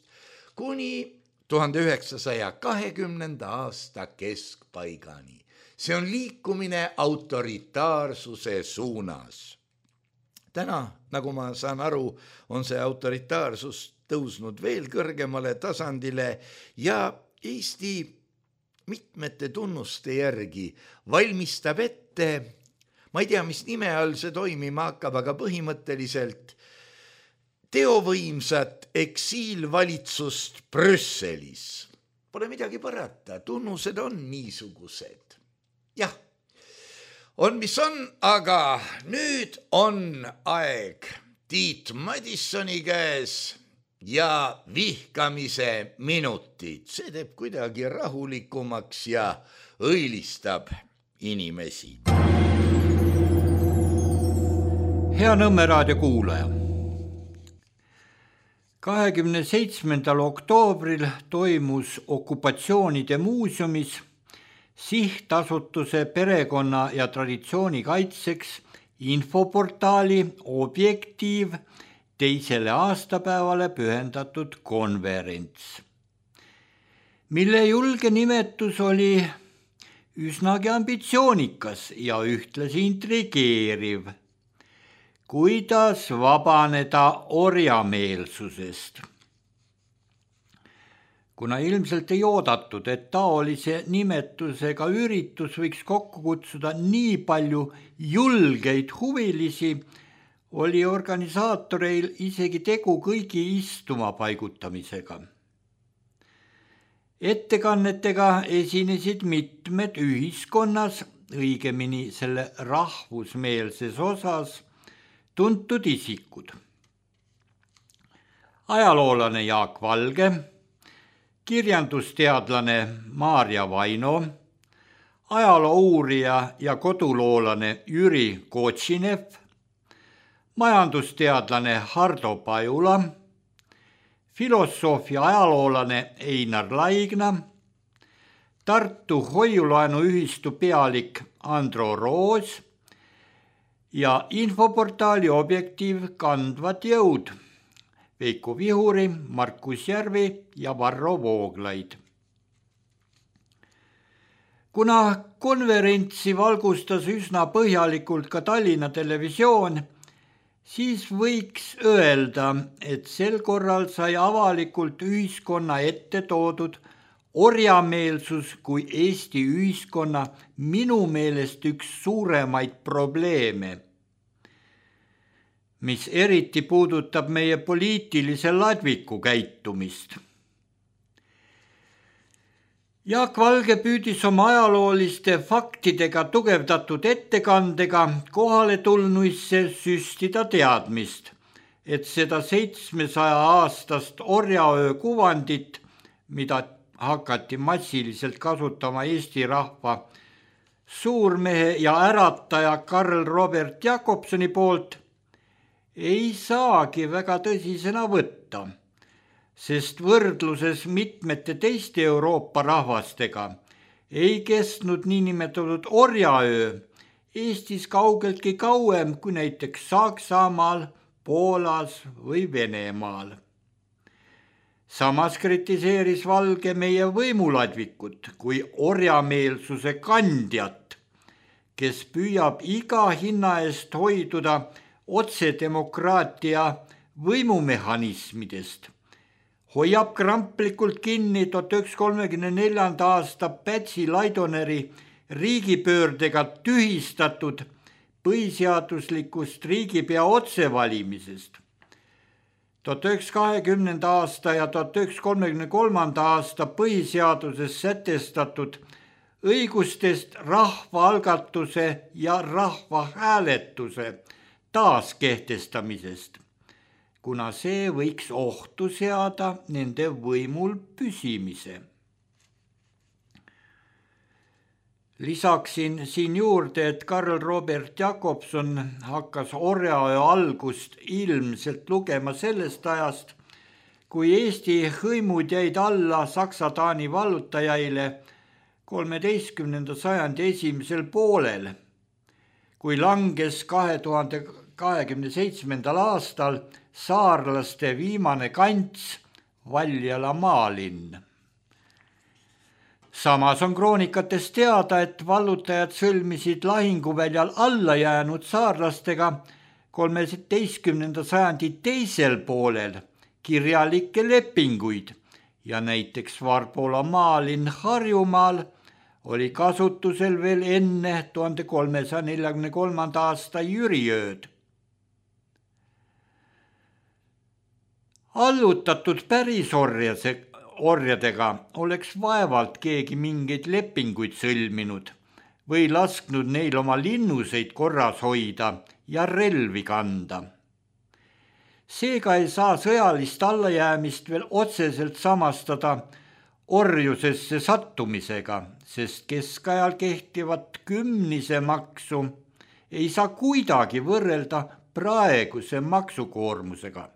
kuni 1920. aasta keskpaigani. See on liikumine autoritaarsuse suunas. Täna, nagu ma saan aru, on see autoritaarsus tõusnud veel kõrgemale tasandile ja Eesti mitmete tunnuste järgi valmistab ette, ma ei tea, mis nime all see toimima hakkab, aga põhimõtteliselt teovõimsat eksiilvalitsust Brüsselis. Pole midagi parata, tunnused on niisugused. Jah, on mis on, aga nüüd on aeg Tiit Madissoni käes ja vihkamise minutid. See teeb kuidagi rahulikumaks ja õilistab inimesi. Hea Nõmme raadio kuulaja. 27. oktoobril toimus Okupatsioonide muuseumis sihtasutuse perekonna ja traditsiooni kaitseks infoportaali Objektiiv 2. aastapäevale pühendatud konverents, mille julge nimetus oli üsnagi ambitsioonikas ja ühtlasi intrigeeriv. Kuidas vabaneda orjameelsusest? Kuna ilmselt ei oodatud, et taolise nimetusega üritus võiks kokku kutsuda nii palju julgeid huvilisi, oli organisaatoreil isegi tegu kõigi istuma paigutamisega. Ettekannetega esinesid mitmed ühiskonnas, õigemini selle rahvusmeelses osas, tuntud isikud. Ajaloolane Jaak Valge, kirjandusteadlane Maarja Vaino, ajalouurija ja koduloolane Jüri Kotšinev, majandusteadlane Hardo Pajula, filosoofia ajaloolane Einar Laigna, Tartu hoiulaenuühistu pealik Andro Roos ja infoportaali Objektiiv kandvad jõud Veiko Vihuri, Markus Järvi ja Varro Vooglaid. Kuna konverentsi valgustas üsna põhjalikult ka Tallinna Televisioon, siis võiks öelda, et sel korral sai avalikult ühiskonna ette toodud orjameelsus kui Eesti ühiskonna minu meelest üks suuremaid probleeme, mis eriti puudutab meie poliitilise ladviku käitumist. Jaak Valge püüdis oma ajalooliste faktidega tugevdatud ettekandega kohale tulnuisse süstida teadmist, et seda 700 aastast orjaöö kuvandit, mida hakati massiliselt kasutama Eesti rahva suurmehe ja ärataja Karl Robert Jakobsoni poolt, ei saagi väga tõsisena võtta, sest võrdluses mitmete teiste Euroopa rahvastega ei kestnud niinimetatud orjaöö Eestis kaugeltki kauem kui näiteks Saksamaal, Poolas või Venemaal. Samas kritiseeris Valge meie võimuladvikut kui orjameelsuse kandjat, kes püüab iga hinna eest hoiduda otsedemokraatia võimumehhanismidest, hoiab kramplikult kinni 1934. aasta Pätsi-Laidoneri riigipöördega tühistatud põhiseaduslikust riigipea otsevalimisest. 1920. aasta ja 1933. aasta põhiseaduses sätestatud õigustest rahvaalgatuse ja rahvahääletuse taaskehtestamisest, kuna see võiks ohtu seada nende võimul püsimise. Lisaksin siin juurde, et Karl Robert Jakobson hakkas orjaöö algust ilmselt lugema sellest ajast, kui Eesti hõimud jäid alla Saksa-Taani vallutajaile 13. sajandi esimesel poolel, kui langes 2027. aastal saarlaste viimane kants Valjala maalinn. Samas on kroonikates teada, et vallutajad sõlmisid lahinguväljal alla jäänud saarlastega 13. sajandi teisel poolel kirjalikke lepinguid ja näiteks Varbola maalinn Harjumaal oli kasutusel veel enne 1343. aasta Jüriööd. Allutatud pärisorjadega oleks vaevalt keegi mingeid lepinguid sõlminud või lasknud neil oma linnuseid korras hoida ja relvi kanda. Seega ei saa sõjalist allajäämist veel otseselt samastada orjusesse sattumisega, sest keskajal kehtivat kümnise maksu ei saa kuidagi võrrelda praeguse maksukoormusega.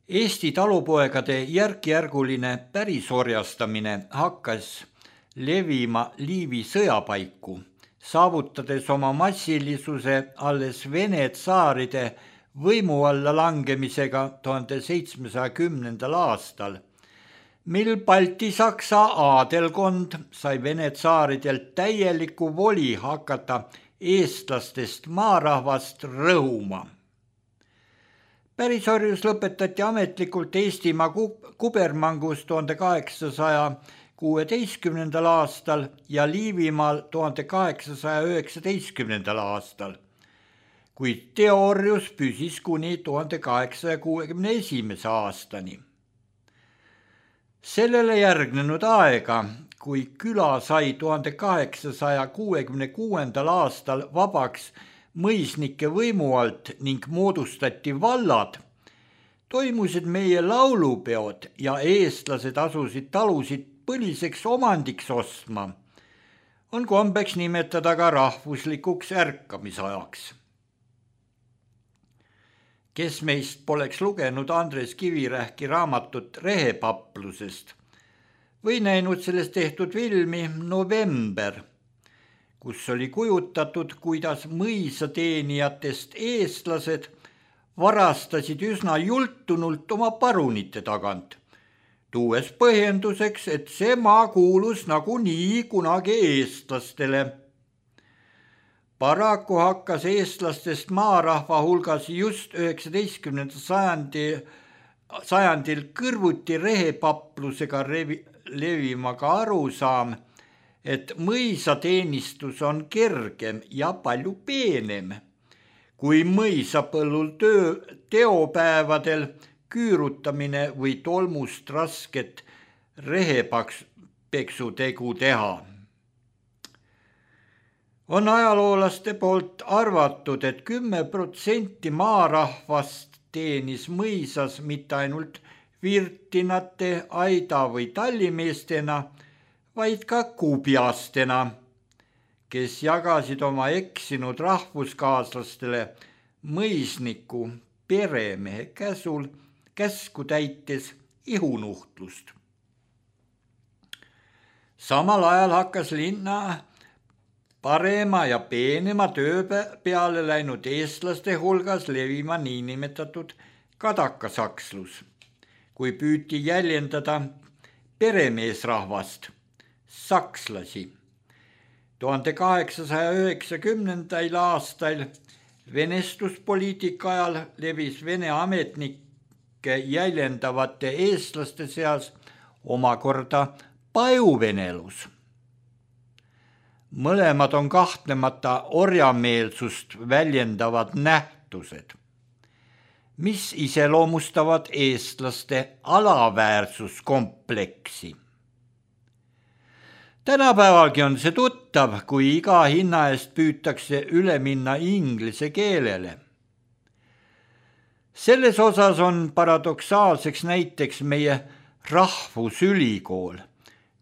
Eesti talupoegade järkjärguline pärisorjastamine hakkas levima Liivi sõjapaiku, saavutades oma massilisuse alles Vene tsaaride võimu alla langemisega 1710. aastal, mil Balti-Saksa aadelkond sai Vene tsaaridelt täieliku voli hakata eestlastest maarahvast rõhuma. Pärisorjus lõpetati ametlikult Eestimaa kubermangus 1816. aastal ja Liivimaal 1819. aastal, kuid teoorjus püsis kuni 1861. aastani. Sellele järgnenud aega, kui küla sai 1866. aastal vabaks mõisnike võimu alt ning moodustati vallad, toimusid meie laulupeod ja eestlased asusid talusid põliseks omandiks ostma, on kombeks nimetada ka rahvuslikuks ärkamisajaks. Kes meist poleks lugenud Andres Kivirähki raamatut Rehepaplusest või näinud sellest tehtud filmi November, kus oli kujutatud, kuidas mõisateenijatest eestlased varastasid üsna jultunult oma parunite tagant, tuues põhjenduseks, et see maa kuulus nagunii kunagi eestlastele. Paraku hakkas eestlastest maarahva hulgas just 19. sajandil kõrvuti rehepaplusega levima ka arusaam, et mõisateenistus on kergem ja palju peenem, kui mõisapõllul teopäevadel küürutamine või tolmust rasket rehepeksutegu teha. On ajaloolaste poolt arvatud, et 10% maarahvast teenis mõisas mitte ainult virtinate, aida või tallimeestena, vaid ka kubjastena, kes jagasid oma eksinud rahvuskaaslastele mõisniku peremehe käsku täites ihunuhtlust. Samal ajal hakkas linna parema ja peenema töö peale läinud eestlaste hulgas levima niinimetatud kadakasakslus, kui püüti jäljendada peremeesrahvast, sakslasi. 1890. aastal venestuspoliitika ajal levis Vene ametnikke jäljendavate eestlaste seas omakorda pajuvenelus. Mõlemad on kahtlemata orjameelsust väljendavad nähtused, mis iseloomustavad eestlaste alaväärsuskompleksi. Tänapäevalgi on see tuttav, kui iga hinna eest püütakse üle minna inglise keelele. Selles osas on paradoksaalseks näiteks meie rahvusülikool,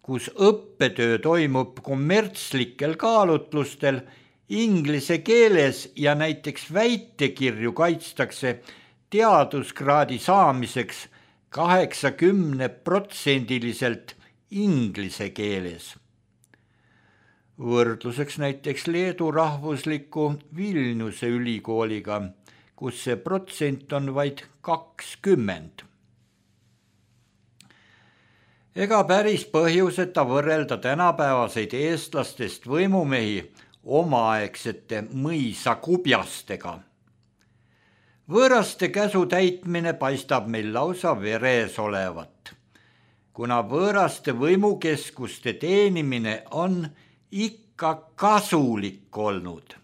kus õppetöö toimub kommertslikel kaalutlustel inglise keeles ja näiteks väitekirju kaitstakse teaduskraadi saamiseks 80% inglise keeles. Võrdluseks näiteks Leedu rahvusliku Vilniuse ülikooliga, kus see protsent on vaid 20. Ega päris põhjuseta võrrelda tänapäevaseid eestlastest võimumehi omaaegsete mõisakubjastega. Võõraste käsu täitmine paistab meil lausa veres olevat, kuna võõraste võimukeskuste teenimine on ikka kasulik olnud.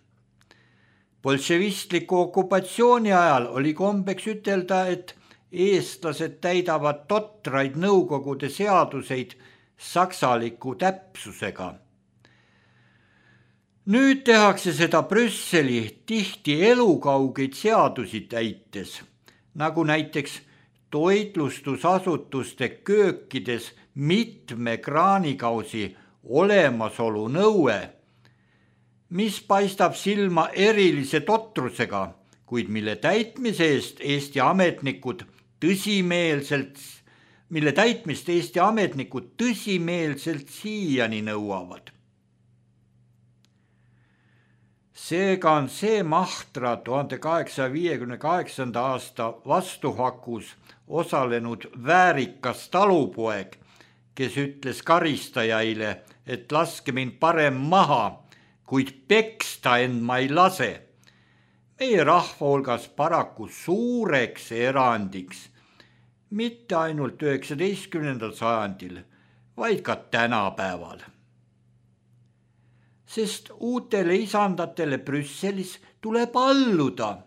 Bolševistliku okupatsiooni ajal oli kombeks ütelda, et eestlased täidavad totraid nõukogude seaduseid saksaliku täpsusega. Nüüd tehakse seda Brüsseli tihti elukaugeid seadusi täites, nagu näiteks toitlustusasutuste köökides mitme kraanikausi olemasolu nõue, mis paistab silma erilise totrusega, kuid mille täitmise eest Eesti ametnikud tõsimeelselt siiani nõuavad. Seega on see mahtra 1858. aasta vastuhakus osalenud väärikas talupoeg, kes ütles karistajaile, et laske mind parem maha, kuid peksta end ma ei lase. Meie rahva hulgas paraku suureks erandiks, mitte ainult 19. sajandil, vaid ka tänapäeval. Sest uutele isandatele Brüsselis tuleb alluda,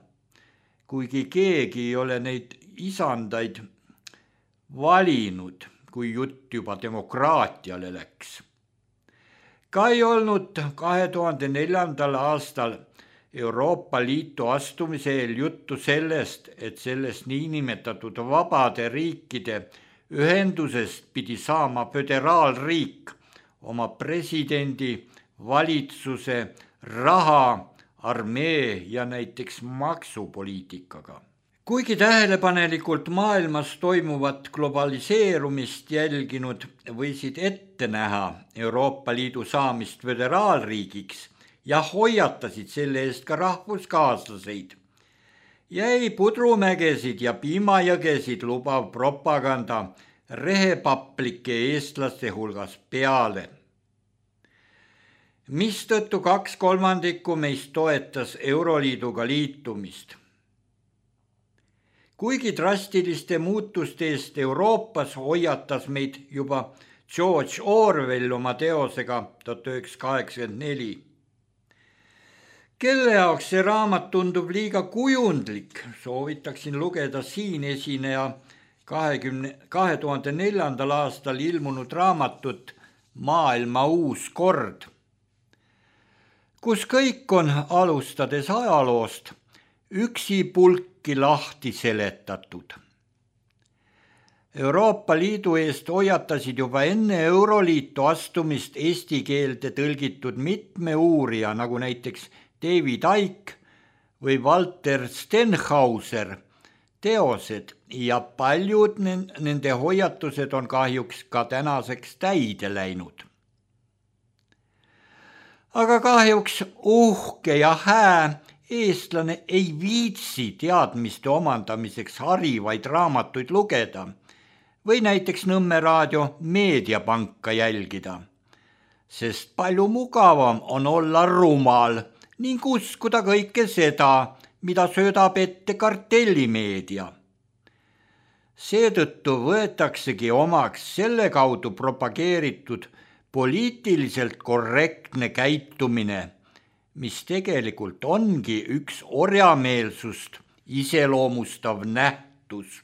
kuigi keegi ei ole neid isandaid valinud, kui jutt juba demokraatiale läks. Ka ei olnud 2004. aastal Euroopa Liitu astumise eel juttu sellest, et sellest niinimetatud vabade riikide ühendusest pidi saama föderaalriik oma presidendi, valitsuse, raha, armee ja näiteks maksupoliitikaga. Kuigi tähelepanelikult maailmas toimuvat globaliseerumist jälginud võisid ette näha Euroopa Liidu saamist föderaalriigiks ja hoiatasid selle eest ka rahvuskaaslaseid, jäi pudrumägesid ja piimajõgesid lubav propaganda rehepaplike eestlaste hulgas peale, mistõttu 2/3 meist toetas Euroliiduga liitumist. Kuigi drastiliste muutuste eest Euroopas hoiatas meid juba George Orwell oma teosega 1984. Kelle jaoks see raamat tundub liiga kujundlik, soovitaksin lugeda siin esineja 2004. aastal ilmunud raamatut Maailma uus kord, kus kõik on, alustades ajaloost, üksipulki lahti seletatud. Euroopa Liidu eest hoiatasid juba enne Euroliitu astumist eesti keelde tõlgitud mitme uurija, nagu näiteks David Icke või Walter Stenhauser teosed ja paljud nende hoiatused on kahjuks ka tänaseks täide läinud. Aga kahjuks uhke ja hää eestlane ei viitsi teadmiste omandamiseks harivaid raamatuid lugeda või näiteks Nõmme raadio meediapanka jälgida, sest palju mugavam on olla rumal ning uskuda kõike seda, mida söödab ette kartellimeedia. Seetõttu võetaksegi omaks selle kaudu propageeritud poliitiliselt korrektne käitumine, mis tegelikult ongi üks orjameelsust iseloomustav nähtus.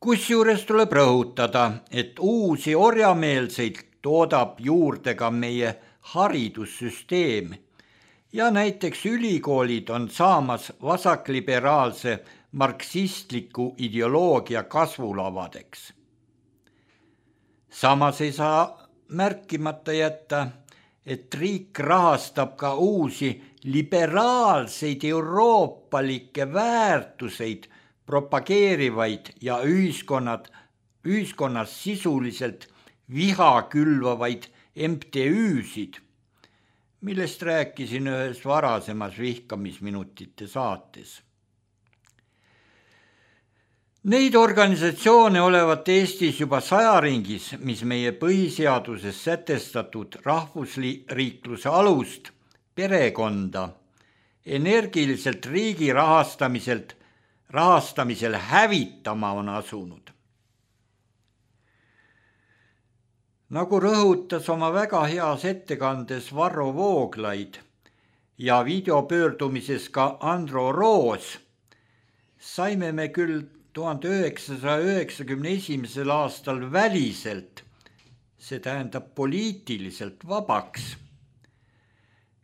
Kusjuures tuleb rõhutada, et uusi orjameelseid toodab juurde ka meie haridussüsteem ja näiteks ülikoolid on saamas vasakliberaalse marksistliku ideoloogia kasvulavadeks. Samas ei saa märkimata jätta, et riik rahastab ka uusi liberaalseid euroopalikke väärtuseid propageerivaid ja ühiskonnas sisuliselt viha külvavaid MTÜ-sid, millest rääkisin ühes varasemas vihkamisminutite saates. Neid organisatsioone olevat Eestis juba 100 ringis, mis meie põhiseaduses sätestatud rahvusriikluse alust, perekonda, energiliselt riigi rahastamisel hävitama on asunud. Nagu rõhutas oma väga heas ettekandes Varro Vooglaid ja videopöördumises ka Andro Roos, saime me küll 1991. aastal väliselt, see tähendab poliitiliselt vabaks,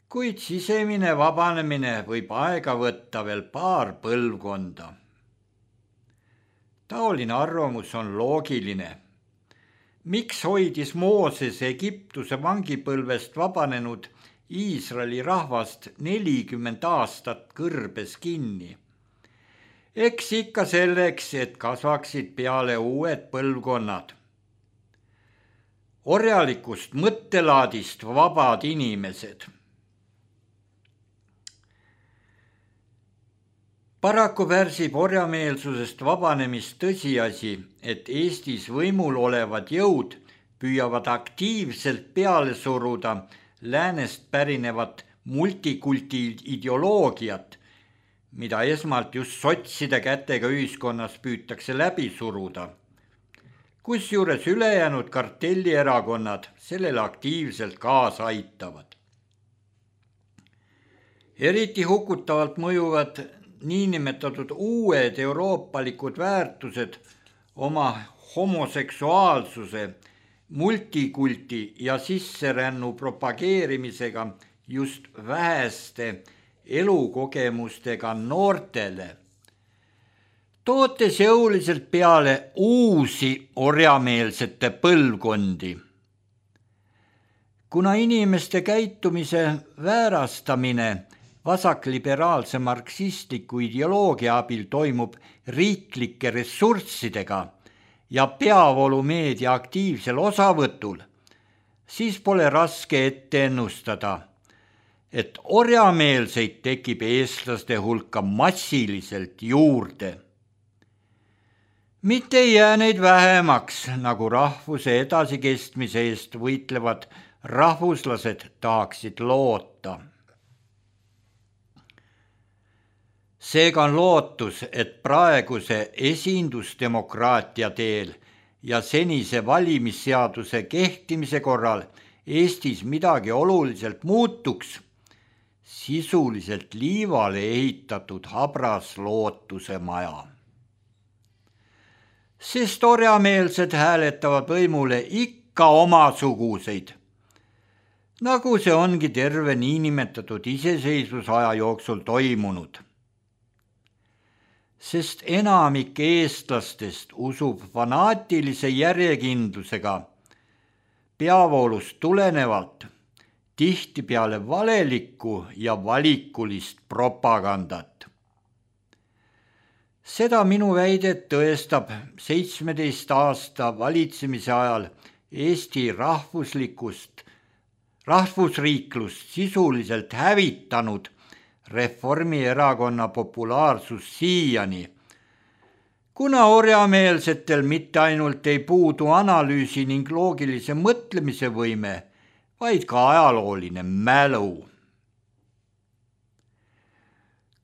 kuid sisemine vabanemine võib aega võtta veel paar põlvkonda. Taoline arvamus on loogiline. Miks hoidis Mooses Egiptuse vangipõlvest vabanenud Iisraeli rahvast 40 aastat kõrbes kinni. Eks ikka selleks, et kasvaksid peale uued põlvkonnad. Orjalikust mõttelaadist vabad inimesed. Paraku pärsib orjameelsusest vabanemist tõsiasi, et Eestis võimul olevad jõud püüavad aktiivselt peale suruda läänest pärinevat multikulti ideoloogiat, mida esmalt just sotside kätega ühiskonnas püütakse läbi suruda. Kusjuures ülejäänud kartellierakonnad sellele aktiivselt kaasa aitavad. Eriti hukutavalt mõjuvad niinimetatud uued euroopalikud väärtused oma homoseksuaalsuse, multikulti ja sisserännu propageerimisega just väheste elukogemustega noortele, tootes jõuliselt peale uusi orjameelsete põlvkondi. Kuna inimeste käitumise väärastamine vasakliberaalse marksistliku ideoloogia abil toimub riiklike ressurssidega ja peavoolumeedia aktiivsel osavõtul, siis pole raske ette ennustada, et orjameelseid tekib eestlaste hulka massiliselt juurde. Mitte ei jää neid vähemaks, nagu rahvuse edasikestmise eest võitlevad rahvuslased tahaksid loota. Seega on lootus, et praeguse esindusdemokraatia teel ja senise valimisseaduse kehtimise korral Eestis midagi oluliselt muutuks, sisuliselt liivale ehitatud habras lootuse maja. Sest orjameelsed hääletavad võimule ikka omasuguseid, nagu see ongi terve niinimetatud iseseisvusaja jooksul toimunud. Sest enamik eestlastest usub fanaatilise järjekindlusega peavoolust tulenevalt tihtipeale valelikku ja valikulist propagandat. Seda minu väidet tõestab 17 aasta valitsemise ajal Eesti rahvusriiklust sisuliselt hävitanud Reformierakonna populaarsus siiani, kuna orjameelsetel mitte ainult ei puudu analüüsi ning loogilise mõtlemise võime, vaid ka ajalooline mälu.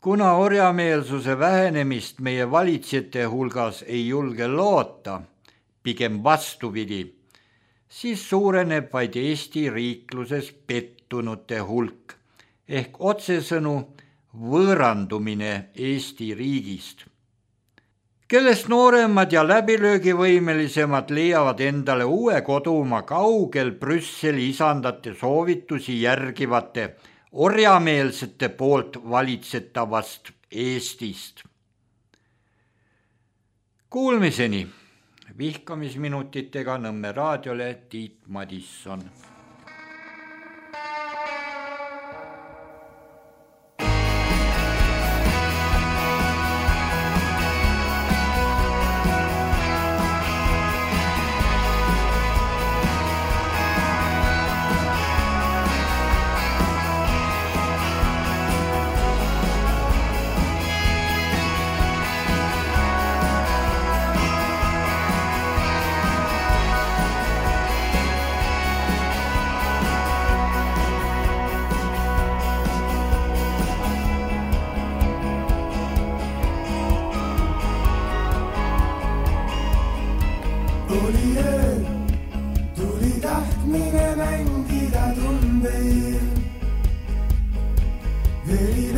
Kuna orjameelsuse vähenemist meie valitsejate hulgas ei julge loota, pigem vastupidi, siis suureneb vaid Eesti riikluses pettunute hulk, ehk otsesõnu võõrandumine Eesti riigist, kellest nooremad ja läbilöögivõimelisemad leiavad endale uue kodumaa kaugel Brüsseli isandate soovitusi järgivate orjameelsete poolt valitsetavast Eestist. Kuulmiseni vihkamisminutitega Nõmme raadiole Tiit Madisson. Ei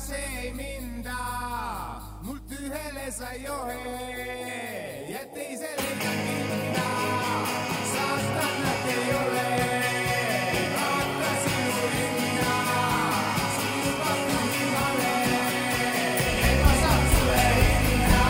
se ei minda, mult ühele sa johe ja teisele ei minda, saastanat ei ole, vaata sinu hinna, sinu pakkugi vale, et ma saan sulle hinna.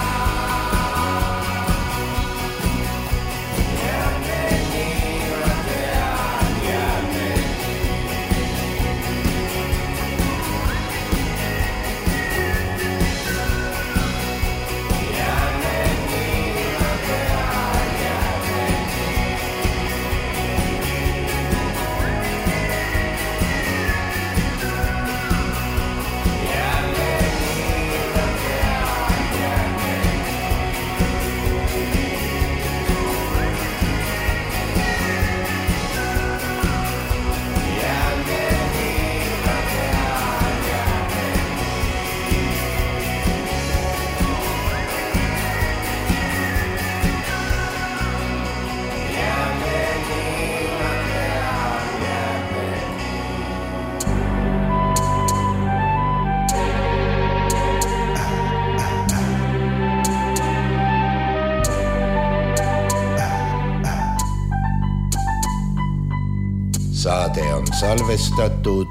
Saade on salvestatud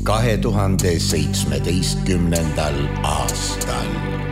2017. aastal.